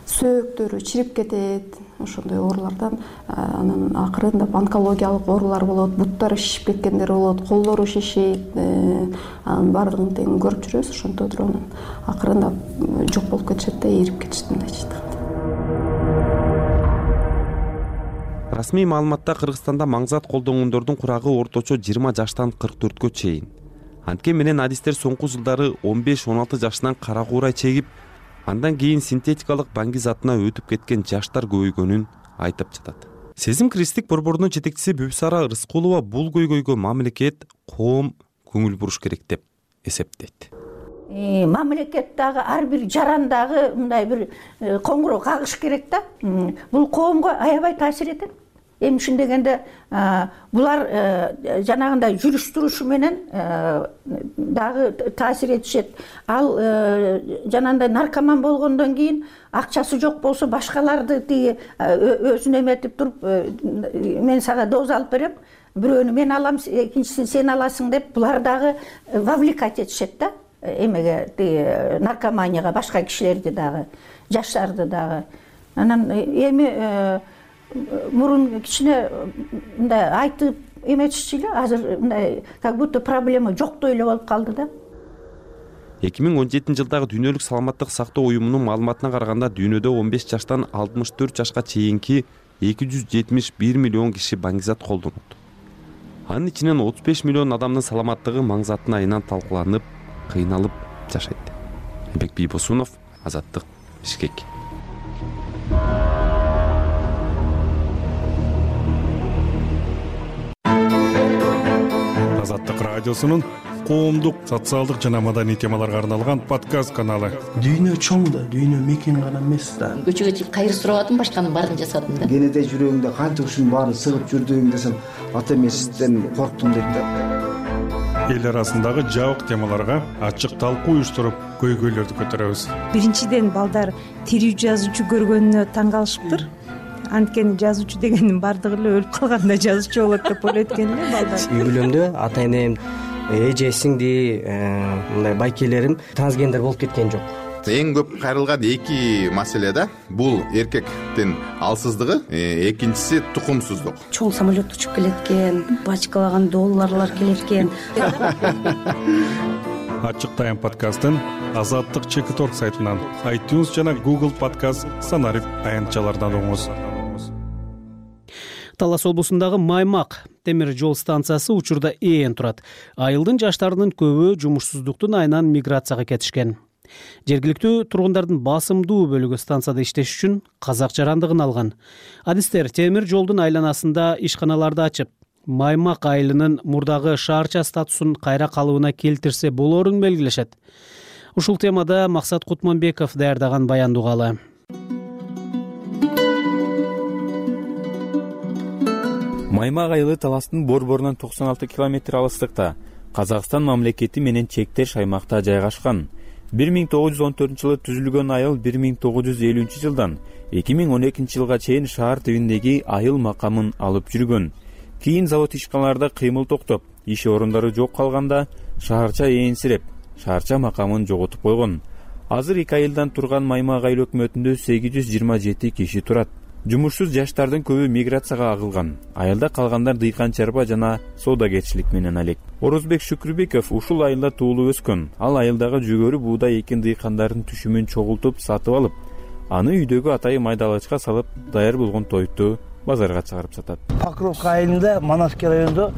сөөктөрү чирип кетет. Ошондой оорулардан анан акырында онкологиялык оорулар болот, буттары шишип кеткендер болот, колдору шишийт. Анын баардыгын тең көрүп жүрөбүз, ошонтип туруп анан акырында жок болуп кетишет да, эрип кетишет мындайча айтканда. Расмий маалыматта Кыргызстанда маңзат колдонгондордун курагы орточо жыйырма жаштан кырк төрткө чейин. Анткени менен адистер соңку жылдары он беш он алты жашынан кара куурай чегип, андан кийин синтетикалык банги затына өтүп кеткен жаштар көбөйгөнүн айтып жатат. Сезим Кристик борборунун жетекчиси Бүбүсара Рыскулова бул көйгөйгө мамлекет, коом көңүл буруш керек деп эсептейт. Мамлекет дагы ар бир жарандагы мындай бир коңгуроо кагыш керек да. Бул коомго аябай таасир этет. Эми ушун дегенде булар жанагындай жүрүш турушу менен дагы таасир этишет. Ал жанагындай наркоман болгондон кийин акчасы жок болсо башкаларды тиги өзүнө эметип туруп мен сага доза алып берем, бирөөнү мен алам, экинчисин сен аласың деп булар дагы вовлекать этишет да. Эмеге тиги наркоманияга башка кишилерди дагы, жаштарды дагы. Анан эми мурун кичине мындай айтып эметишчи эле, азыр мындай как будто проблема жоктой эле болуп калды да. эки миң он жетинчи жылдагы дүйнөлүк саламаттык сактоо уюмунун маалыматына караганда дүйнөдө он беш жаштан алтымыш төрт жашка чейинки эки жүз жетимиш бир миллион киши баңгизат колдонот. Анын ичинен отуз беш миллион адамдын саламаттыгы маңзаттын айынан талкаланып, кыйналып жашайт. Бек Бийбосунов, Азаттык, Бишкек. Азаттык радиосунун коомдук, социалдык жана маданий темаларга арналган подкаст каналы. Дүйнө чоң да, дүйнө мекен гана эмес да. Көчөгө чыгып кайыр сурабадым, башканын баарын жасадым да. Кенеде жүрөгүңдө канча ушунун баарын сыгып жүрдүң десем, ата эмесизден корктум дейт да. эл арасындагы жабык темаларга ачык талкуу уюштуруп көйгөйлөрдү көтөрөбүз. Биринчиден балдар тирүү жазуучу көргөнүнө таң калышыптыр. Анткени жазуучу дегендин баардыгы эле өлүп калганда жазуучу болот деп ойлойт экен эле балдар. Үй бүлөмдө ата энем, эже сиңди, мындай байкелерим трансгендер болуп кеткен жок. Эң көп кайрылган эки маселе да, бул эркектин алсыздыгы, экинчиси тукумсуздук. Чоң самолет учуп келет экен, бачкалаган долларлар келет экен. Ачык тайм подкастын Азаттык чекит точка орг сайтынан, iTunes жана Google подкаст санарип аянтчалардан угуңуз. Талас облусундагы Маймак темир жол станциясы учурда ээн турат. Айылдын жаштарынын көбү жумушсуздуктун айынан миграцияга кетишкен. Жергиликтүү тургундардын басымдуу бөлүгү станцияда иштеш үчүн казак жарандыгын алган. Адистер темир жолдун айланасында ишканаларды ачып, Маймак айылынын мурдагы шаарча статусун кайра калыбына келтирсе болорун белгилешет. Ушул темада Максат Кутманбеков даярдаган баянды угалы. Маймак айылы Таластын борборунан токсон алты километр алыстыкта, Казакстан мамлекети менен чектеш аймакта жайгашкан. бир миң тогуз жүз он төртүнчү жылы түзүлгөн айыл бир миң тогуз жүз элүүнчү жылдан эки миң он экинчи жылга чейин шаар тибиндеги айыл макамын алып жүргөн. Кийин завод ишканаларда кыймыл токтоп, иш орундары жок калганда шаарча ээнсиреп, шаарча макамын жоготуп койгон. Азыр эки айылдан турган Маймак айыл өкмөтүндө сегиз жүз жыйырма жети киши турат. Жумушсуз жаштардын көбү миграцияга агылган. Айылда калгандар дыйкан чарба жана соодагерчилик менен алек. Орозбек Шүкүрбеков ушул айылда туулуп өскөн. Ал айылдагы жүгөрү буудай экин дыйкандардын түшүмүн чогултуп сатып алып, аны үйдөгү атайы майдалачка салып, даяр болгон тойту базарга чыгарып сатат. Покровка айылында Манасский районунда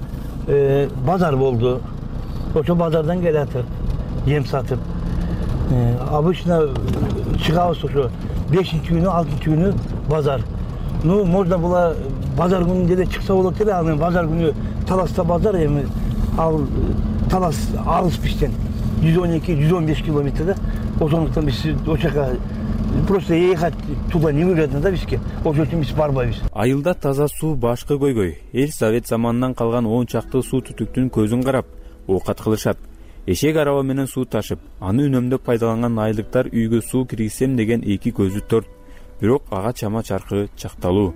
базар болду. Ошо базардан келатыр, ем сатып. Обычно чыгабыз ошо бешинчи күнү, алтынчы күнү базар. Ну, можно было базар күнүндө эле чыкса болот эле, анан базар күнү Таласта базар, эми ал Талас алыс бизден жүз он эки жүз он беш километр да. Ошондуктан биз ошол жака просто ехать туда невыгодно да бизге. Ошол үчүн биз барбайбыз. Айылда таза суу башкы көйгөй. Эл Совет заманынан калган он чакты суу түтүктүн көзүн карап, оокат кылышат. Эшек араба менен суу ташып, аны үнөмдөп пайдаланган айылдыктар үйгө суу киргизсем деген эки көзү төрт. Бирок ага чама чаркы чакталуу.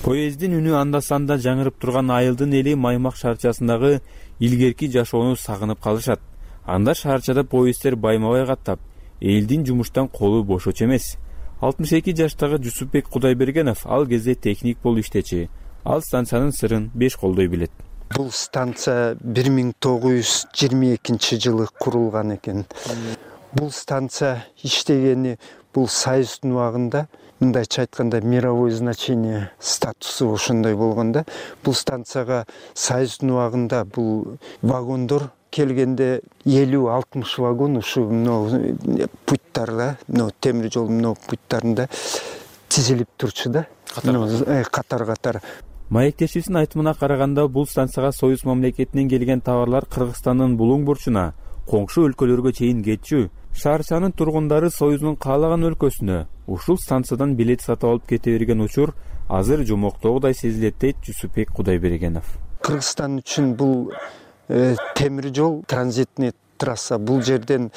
Поездин үнү анда-санда жаңырып турган айылдын эли Маймак шаарчасындагы илгерки жашоону сагынып калышат. Анда шаарчада поезддер байма-бай каттап, элдин жумуштан колу бошочу эмес. алтымыш эки жаштагы Жусупбек Кудайбергенов ал кезде техник болуп иштечи. Ал станциянын сырын беш колдой билет. Бул станция бир миң тогуз жүз жыйырма экинчи жылы курулган экен. Бул станция иштегени бул Союздун убагында, мындайча айтканда мировой значение статусу ошондой болгон да. Бул станцияга Союздун убагында бул вагондор келгенде элүү алтымыш вагон ушу путтарда, темир жол путтарында тизилип турчу да. Катар-катар. Маектешибиздин айтымына караганда, бул станцияга Союз мамлекетинен келген товарлар Кыргызстандын булуң бурчуна, коңшу өлкөлөргө чейин кетчү. Шаарчанын тургундары Союздун каалаган өлкөсүнө ушул станциядан билет сатып алып кете берген учур азыр жомоктогудай сезилет дейт Жусупбек Кудайбергенов. Кыргызстан үчүн бул темир жол транзитный трасса. Бул жерден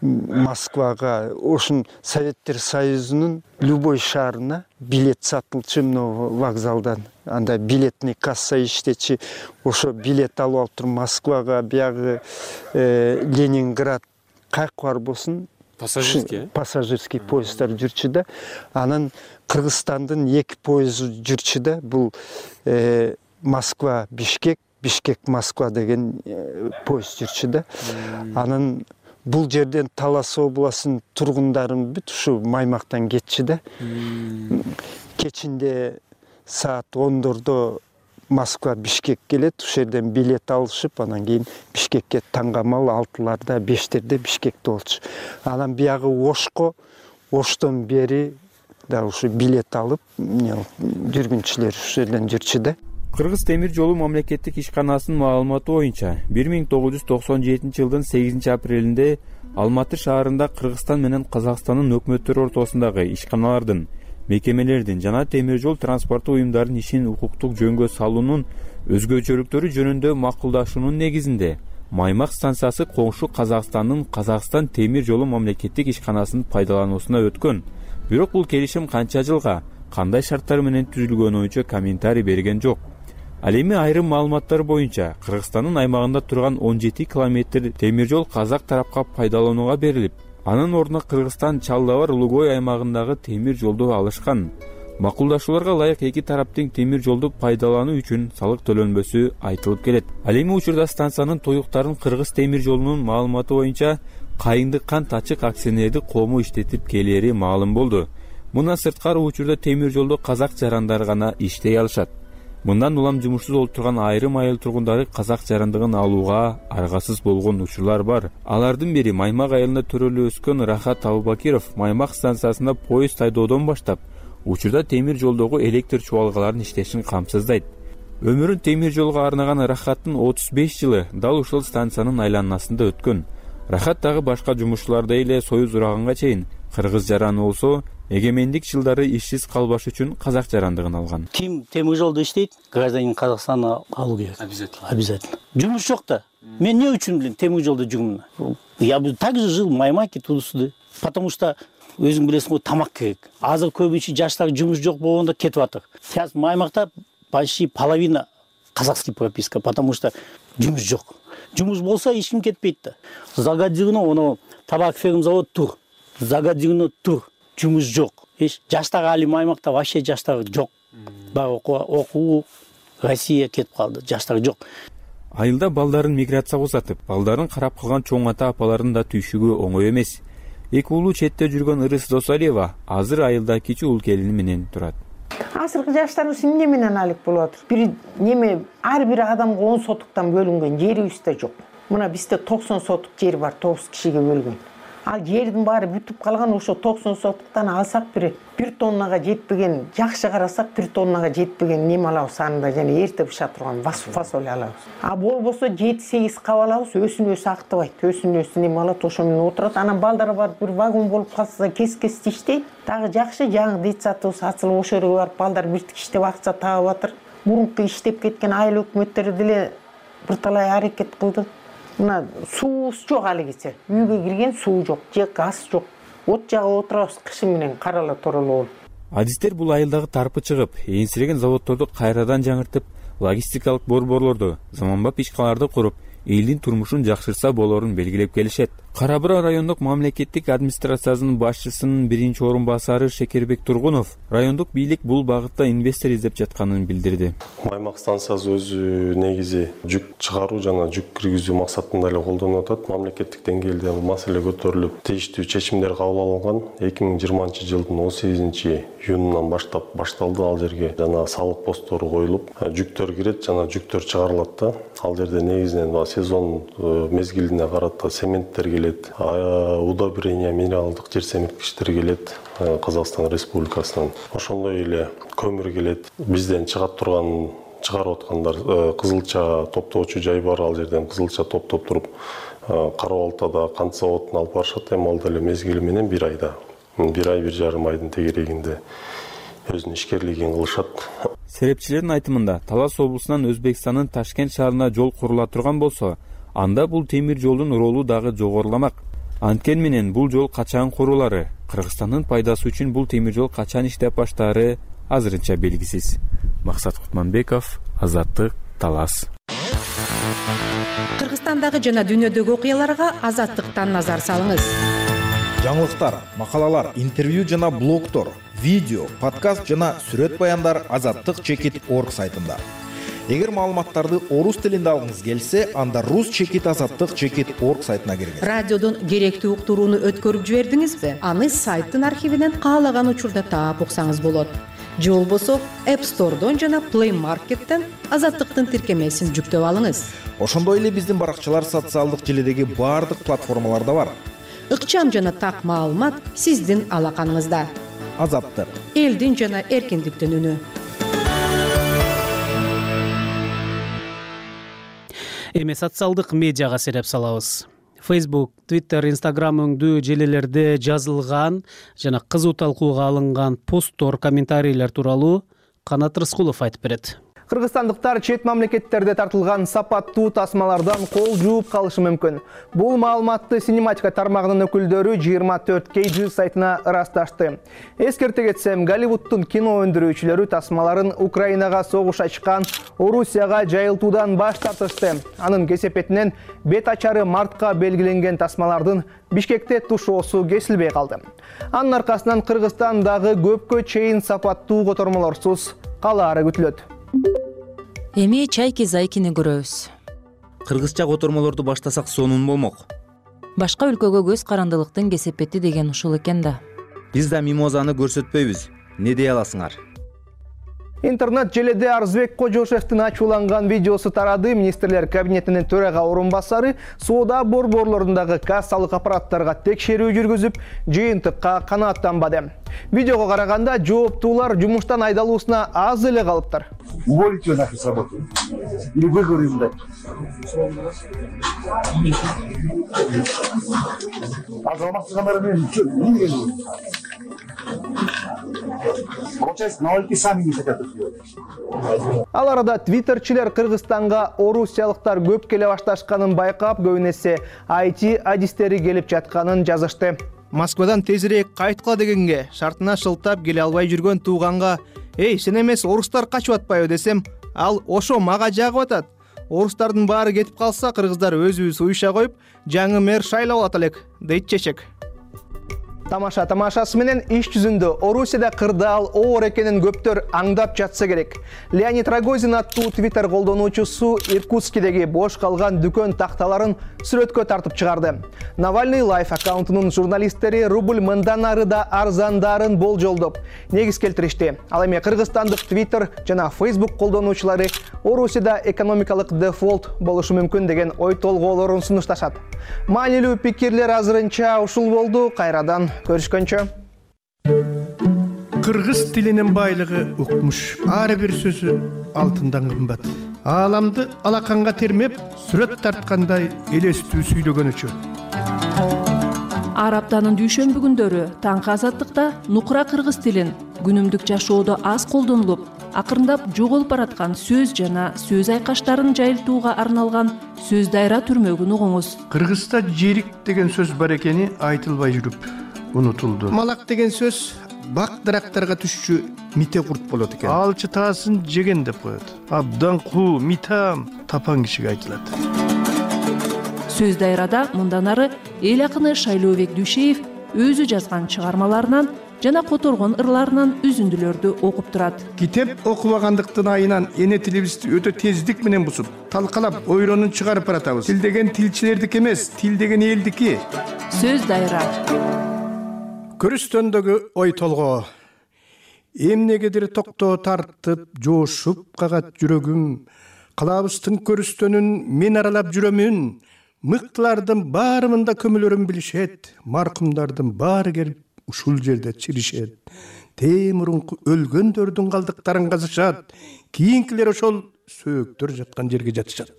Москвага, ошон Советтер Союзунун любой шаарына билет сатылчу мына вокзалдан. Анда билетный касса иштечи. Ошо билет алып алып туруп Москвага, биягы Ленинград кайк бар болсун пассажирский пассажирский поезддар жүрчү да. Анан Кыргызстандын эки поезду жүрчү да. Бул Москва Бишкек, Бишкек Москва деген поезд жүрчү да. Анан бул жерден Талас областынын тургундарын бүт ушу Маймактан кетчү да. Кечинде саат ондордо Москва Бишкек келет, ушул жерден билет алышып, анан кийин Бишкекке таңгамал алтыларда, бештерде Бишкекте болчу. Анан биягы Ошко, Оштон бери да ушу билет алып, жүргүнчүлөр ушул жерден жүрчү да. Кыргыз темир жолу мамлекеттик ишканасынын маалыматы боюнча, бир миң тогуз жүз токсон жетинчи жылдын сегизинчи апрелинде Алматы шаарында Кыргызстан менен Казакстандын өкмөттөрү ортосундагы ишканалардын мекемелердин жана темир жол транспорту уюмдарынын ишин укуктук жөнгө салуунун өзгөчөлүктөрү жөнүндө макулдашуунун негизинде Маймак станциясы коңшу Казакстандын Казакстан темир жолу мамлекеттик ишканасынын пайдалануусуна өткөн. Бирок бул келишим канча жылга, кандай шарттар менен түзүлгөнү боюнча комментарий берген жок. Ал эми айрым маалыматтар боюнча Кыргызстандын аймагында турган он жети километр темир жол казак тарапка пайдаланууга берилип, анын ордуна Кыргызстан Чалдабар Улугой аймагындагы темир жолду алышкан. Макулдашууларга ылайык эки тараптын темир жолду пайдалануу үчүн салык төлөнбөсү айтылып келет. Ал эми учурда станциянын тоюктарын Кыргыз темир жолунун маалыматы боюнча Кайындык кант ачык акционердик коому иштетип келери маалым болду. Мындан сырткары учурда темир жолдо казак жарандары гана иштей алышат. Мындан улам жумушсуз болуп турган айрым айыл тургундары казак жарандыгын алууга аргасыз болгон учурлар бар. Алардын бири Маймак айылында төрөлүп өскөн Рахат Абубакиров Маймак станциясында поезд айдоодон баштап, учурда темир жолдогу электр чубалгаларынын иштешин камсыздайт. Өмүрүн темир жолго арнаган Рахаттын отуз беш жылы дал ушул станциянын айланасында өткөн. Рахат дагы башка жумушчулардай эле Союз ураганга чейин кыргыз жараны болсо, эгемендик жылдары ишсиз калбаш үчүн казак жарандыгын алган. Ким темир жолдо иштейт, гражданин Казакстана алуу керек. Обязательно. Обязательно. Жумуш жок да. Мен эмне үчүн билем темир жолдо жүрмүн? Я бы также жил в Маймаке тудусуды. Потому что өзүң билесиң го, тамак керек. Азыр көбүнчө жаштар жумуш жок болгондо кетип атат. Сейчас Маймакта почти половина казахский прописка, потому что жумуш жок. Жумуш болсо эч ким кетпейт да. Загадыгына оно табак ферм завод тур. Загадыгына тур. Жумуш жок. Эч жаштар али Маймакта вообще жаштар жок. Бар окуу Россия кетип калды. Жаштар жок. Айылда балдарын миграцияга узатып, балдарын карап калган чоң ата апалардын да түйшүгү оңой эмес. Эки уулу четте жүргөн Ырыс Досалиева азыр айылда кичи уул келини менен турат. Азыркы жаштарыбыз эмне менен алек болуп атыр? Бир неме ар бир адамга он сотуктан бөлүнгөн жерибиз да жок. Мына бизде токсон сотук жер бар, тогуз кишиге бөлгөн. Ал жердин баары бүтүп калган, ошо токсон сотуктан алсак бир бир тоннага жетпеген, жакшы карасак бир тоннага жетпеген неме алабыз анында, жана эрте быша турган фасоль алабыз. А болбосо жети сегиз кап алабыз, өсүн өсү актыбайт, өсүн өсү неме алат, ошо менен отурат. Анан балдары бар бир вагон болуп калса кес-кес иштейт. Дагы жакшы, жаңы детсадыбыз ачылып ошол жерге барып балдар биртик иштеп акча таап атыр. Мурунку иштеп кеткен айыл өкмөттөр деле бир талай аракет кылды. Мына суубуз жок алигиче. Үйгө кирген суу жок, же газ жок. От жагып отурабыз кышы менен карала тороло болуп. Адистер бул айылдагы тарпы чыгып, энсиреген заводдорду кайрадан жаңыртып, логистикалык борборлорду, заманбап ишкаларды куруп, элдин турмушун жакшырса болорун белгилеп келишет. Кара Бура райондук мамлекеттик администрациясынын башчысынын биринчи орун басары Шекербек Тургунов райондук бийлик бул багытта инвестор издеп жатканын билдирди. Маймак станциясы өзү негизи жүк чыгаруу жана жүк киргизүү максатында эле колдонуп атат. Мамлекеттик деңгээлде бул маселе көтөрүлүп, тештүү чечимдер кабыл алынган. эки миң жыйырманчы жылдын он сегизинчи июнунан баштап башталды. Ал жерге жана салык постору коюлуп, жүктөр кирет жана жүктөр чыгарылат да. Ал жерде негизинен сезон мезгилине карата цементтер келет, удобрение, минералдык жер семирткичтер келет Казакстан Республикасынан. Ошондой эле көмүр келет. Бизден чыгат турган, чыгарып аткандар кызылча топтоочу жай бар, ал жерден кызылча топтоп туруп Кара Балтада кант заводуна алып барышат. Эми ал деле мезгили менен бир айда, бир ай бир жарым айдын тегерегинде өзүнүн ишкерлигин кылышат. Серепчилердин айтымында Талас облусунан Өзбекстандын Ташкент шаарына жол курула турган болсо, анда бул темир жолдун ролу дагы жогоруламак. Анткен менен бул жол качан курулары, Кыргызстандын пайдасы үчүн бул темир жол качан иштеп баштаары азырынча белгисиз. Максат Кутманбеков, Азаттык, Талас. Кыргызстандагы жана дүйнөдөгү окуяларга Азаттыктан назар салыңыз. Жаңылыктар, макалалар, интервью жана блогтор, видео, подкаст жана сүрөт баяндар азаттык чекит точка орг сайтында. Эгер маалыматтарды орус тилинде алгыңыз келсе, анда рус чекит азаттык чекит точка орг сайтына киргиз. Радиодон керектүү уктурууну өткөрүп жибердиңизби? Аны сайттын архивинен каалаган учурда таап уксаңыз болот. Же болбосо App Store'дон жана Play Market'тен Азаттыктын тиркемесин жүктөп алыңыз. Ошондой эле биздин баракчалар социалдык желидеги баардык платформаларда бар. Ыкчам жана так маалымат сиздин алаканыңызда. Азаттык. Элдин жана эркиндиктин үнү. Эми социалдык медиага сереп салабыз. Facebook, Twitter, Instagram өңдүү желилерде жазылган жана кызуу талкууга алынган посттор, комментарийлер тууралуу Канат Рыскулов айтып берет. Кыргызстандыктар чет мамлекеттерде тартылган сапаттуу тасмалардан кол жууп калышы мүмкүн. Бул маалыматты Синематика тармагынын өкүлдөрү жыйырма төрт кей джи сайтына ырасташты. Эскерте кетсем, Голливудтун кино өндүрүүчүлөрү тасмаларын Украинага согуш ачкан Орусияга жайылтуудан баш тартышты. Анын кесепетинен бет ачары мартка белгиленген тасмалардын Бишкекте тушоосу кесилбей калды. Анын аркасынан Кыргызстан дагы көпкө чейин сапаттуу котормолорсуз калаары күтүлөт. Эми чайки-зайкини көрөбүз. Кыргызча котормолорду баштасак сонун болмок. Башка өлкөгө көз карандылыктын кесепети деген ушул экен да. Биз да мимозаны көрсөтпөйбүз. Не дей аласыңар? Интернет желеде Арзбек Кожошевдин ачууланган видеосу тарады. Министрлер кабинетинин төрага орун басары соода борборлорундагы кассалык аппараттарга текшерүү жүргүзүп, жыйынтыкка канааттанбады. Видеого караганда жооптуулар жумуштан айдалуусуна аз эле калыптыр. Уволите нашу с работы. Или выговорим дать. А залмастыгандар мен что, не делаю? Получается, налоги сами не хотят сделать. Ал арада твиттерчилер Кыргызстанга орусиялыктар көп келе башташканын байкап, көбүнесе ай ти адистери келип жатканын жазышты. Москвадан тезирээк кайткыла дегенге шартына шылтап келе албай жүргөн тууганга «Эй, сен эмес орустар качып атпайбы?» десем, ал ошо мага жагып атат. Орустардын баары кетип калса, кыргыздар өзүбүз уюша коюп, жаңы мэр шайлап алат элек, дейт чечек. Тамаша тамашасы менен иш жүзүндө Орусияда кырдаал оор экенин көптөр аңдап жатса керек. Леонид Рогозин аттуу Twitter колдонуучусу Иркутскидеги бош калган дүкөн такталарын сүрөткө тартып чыгарды. Навальный Life аккаунтунун журналисттери рубль мындан ары да арзандарын болжолдоп негиз келтиришти. Ал эми кыргызстандык Twitter жана Facebook колдонуучулары Орусияда экономикалык дефолт болушу мүмкүн деген ой толгоолорун сунушташат. Маанилүү пикирлер азырынча ушул болду. Кайрадан көрүшкөнчө. Кыргыз тилинин байлыгы укмуш. Ар бир сөзү алтындан кымбат. Ааламды алаканга термеп, сүрөт тарткандай элестүү сүйлөгөнүчө. Ар аптанын дүйшөмбү күндөрү таңкы азаттыкта нукура кыргыз тилин күнүмдүк жашоодо аз колдонулуп, акырындап жоголуп бараткан сөз жана сөз айкаштарын жайылтууга арналган сөз дайра түрмөгүн угуңуз. Кыргызда жерик деген сөз бар экени айтылбай жүрүп унутулду. Малак деген сөз бак дарактарга түшчү мите курт болот экен. Алчы таасын жеген деп коет. Абдан куу, митам тапан кишиге айтылат. Сөз дайрада мындан ары эл акыны Шайлообек Дүйшеев өзү жазган чыгармаларынан жана которгон ырларынан үзүндүлөрдү окуп турат. Китеп окубагандыктын айынан эне тилибизди өтө тездик менен бузуп, талкалап, ойронун чыгарып баратабыз. Тил деген тилчилердики эмес, тил деген элдики. Сөз дайра. Көрүстөндөгү ой толгоо. Эмнегедир токтоо тартып, жоошуп кагат жүрөгүм. Калабыстын көрүстөнүн мен аралап жүрөмүн. Мыктылардын баары мында көмөлөрүн билишет. Маркумдардын баары келип ушул жерде чиришет. Темурунку өлгөндөрдүн калдыктарын казышат. Кийинкилер ошол сөөктөр жаткан жерге жатышат.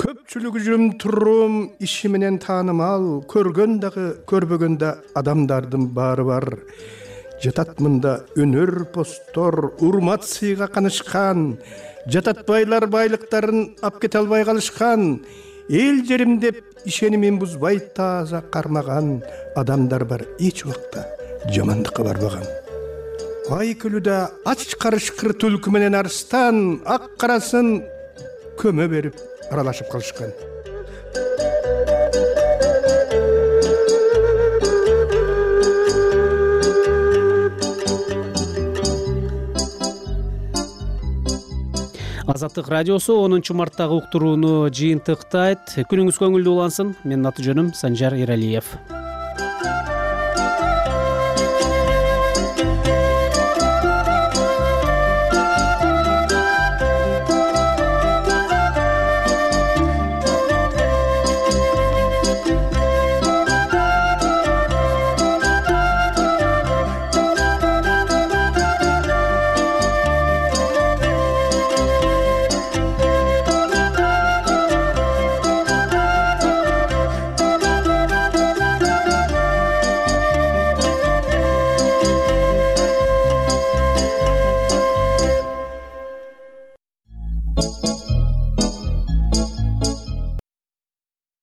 Көпчүлүгү жүрүм турум иши менен таанымал, көргөн дагы көрбөгөн да адамдардын баары бар. Жатат мында өнөр посттор, урмат сыйга канышкан, жататбайлар байлыктарын ап кете албай калышкан, эл жерим деп ишенимин бузбай тааза кармаган адамдар бар, эч убакта жамандыкка барбаган. Ай күлүдө ач карышкыр түлкү менен арстан ак карасын көмө берип аралашып калышкан. Азаттык радиосу онунчу марттагы уктурууну жыйынтыктайт. Күнүңүз көңүлдүү улансын. Менин аты жөнүм Санжар Эралиев.